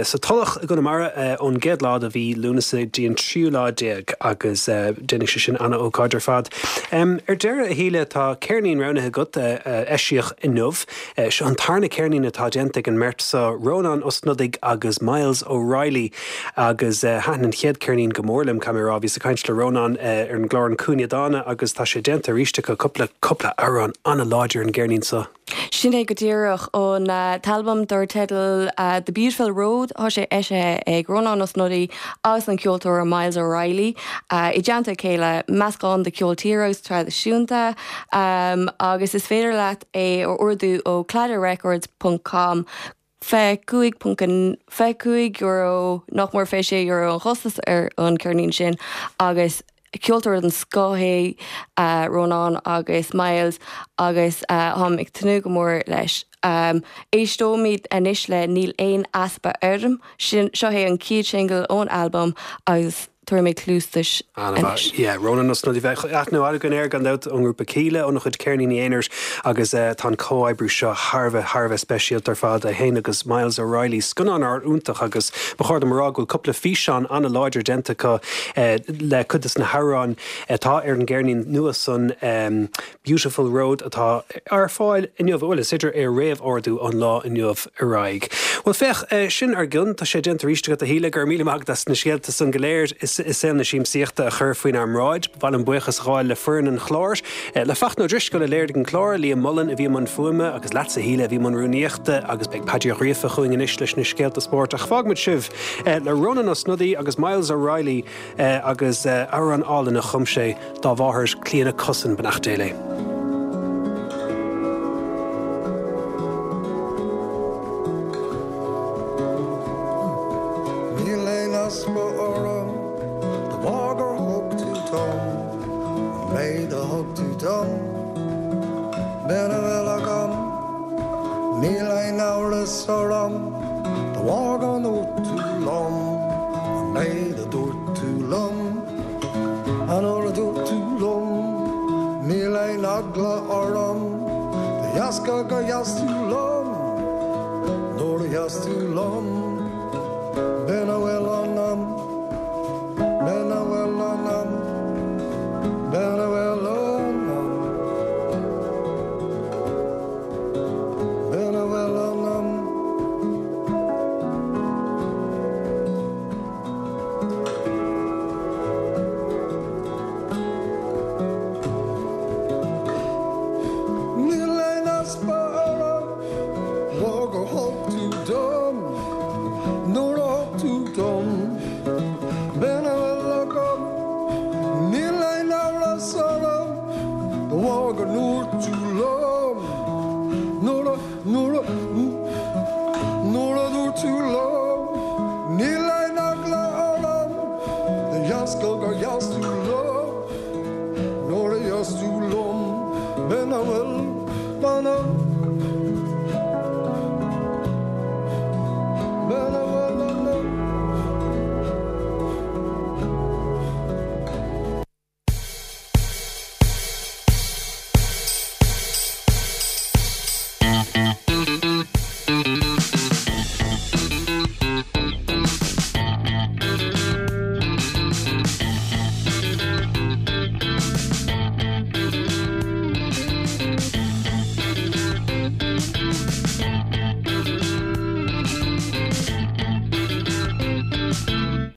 sa Tulach i gConamara ón gcéad lá de mhí Lúnasa go dtí an tríú lá déag agus déanfaidh sé sin ana-ócáid ar fad. Ar deireadh, a Shíle, tá ceirnín roghnaithe agat a eisíodh inniu. Seo an tarna ceirnín atá déanta ag an mbeirt seo, Rónán Ó Snodaigh agus Myles O'Reilly agus thaitin an chéad ceirnín go mór liom, caithfidh mé a rá. Bhíos ag caint le Rónán ar an gclár An Cúinne Dána agus tá sé déanta arís acu, cúpla, cúpla amhrán an-láidir ar an gceirnín seo. Sin é go díreach. An t-albam dar teideal The Beautiful Road, tá sé eisithe ag Rónán Ó Snodaigh agus an ceoltóir Myles O'Reilly i dteannta a chéile, meascán de cheol tíre agus traidisiúnta agus is féidir leat é a ordú ó cladagh ponc com. €25, nach mór €26 an chostas ar an cheirnín sin agus ceoltóirí den scoth é Rónán agus Myles agus táim ag tnúth go mór leis. Éisteoimid anois le Níl Aon Easpa Orm, seo é an chéad singil ón albam agus. Tabharfaidh mé cluas duit anois. Yeah, Rónán Ó Snodaigh, bheadh aithne mhaith againn air gan dabht ón ngrúpa Kíla, óna chuid ceirníní aonair agus tá an comhoibriú seo thar a bheith, thar a bheith speisialta ar fad, é féin agus Myles O'Reilly. Scannán iontach agus ba chóir dom a rá go bhfuil cúpla físeán an-láidir déanta acu le cuid de na hamhráin atá ar an gceirnín nua san. Beautiful Road atá ar fáil inniu, bhuel, is féidir é a réamh-ordú ón lá inniu ar aghaidh. Bhuel, féach, sin ár gcionn, tá sé déanta arís agat, a Shíle, go raibh míle maith agat as na scéalta san go léir i saol na siamsaíochta a chur faoinár mbráid. Ba mhaith liom buíochas a ghabháil le foireann an chláir, le Fachtna Ó Drisceoil a léirigh an clár, Liam Mullen a bhí i mbun fuaime agus leatsa, a Shíle, a bhí i mbun rúnaíochta agus beidh Paddy Ó Gríofa chugainn anois leis na scéalta spóirt. Ach fágfaimid sibh le Rónán Ó Snodaigh agus Myles O'Reilly agus amhrán álainn a chum sé dá mháthair, Clíona Cussen, beannacht Dé léi. Níl aon easpa orm de bharr gur thug tú dom an méid a thug tú dom. B'in a bhfuil agam, níl aon amhras orm de bharr go ndúirt tú liom an méid a dúirt tú liom. An uair a dúirt tú liom, níl aon eagla orm, de dheasca gur sheas tú liom, nuair a sheas tú liom, b'in a bhfuil ionam, b'in a bhfuil ionam, b'in a bhfuil ionam, b'in a bhfuil ionam. Níl aon easpa orm de bharr gur thug tú dom nuair a thug tú dom b'in a bhfuil agam Níl aon amhras orm de bharr go ndúirt tú liom nuair a Nuair a, nuair a dúirt tú liom, níl aon eagla orm, de dheasca gur sheas tú liom, nuair a sheas tú liom, b'in a bhfuil ionam, b'in a bhfuil.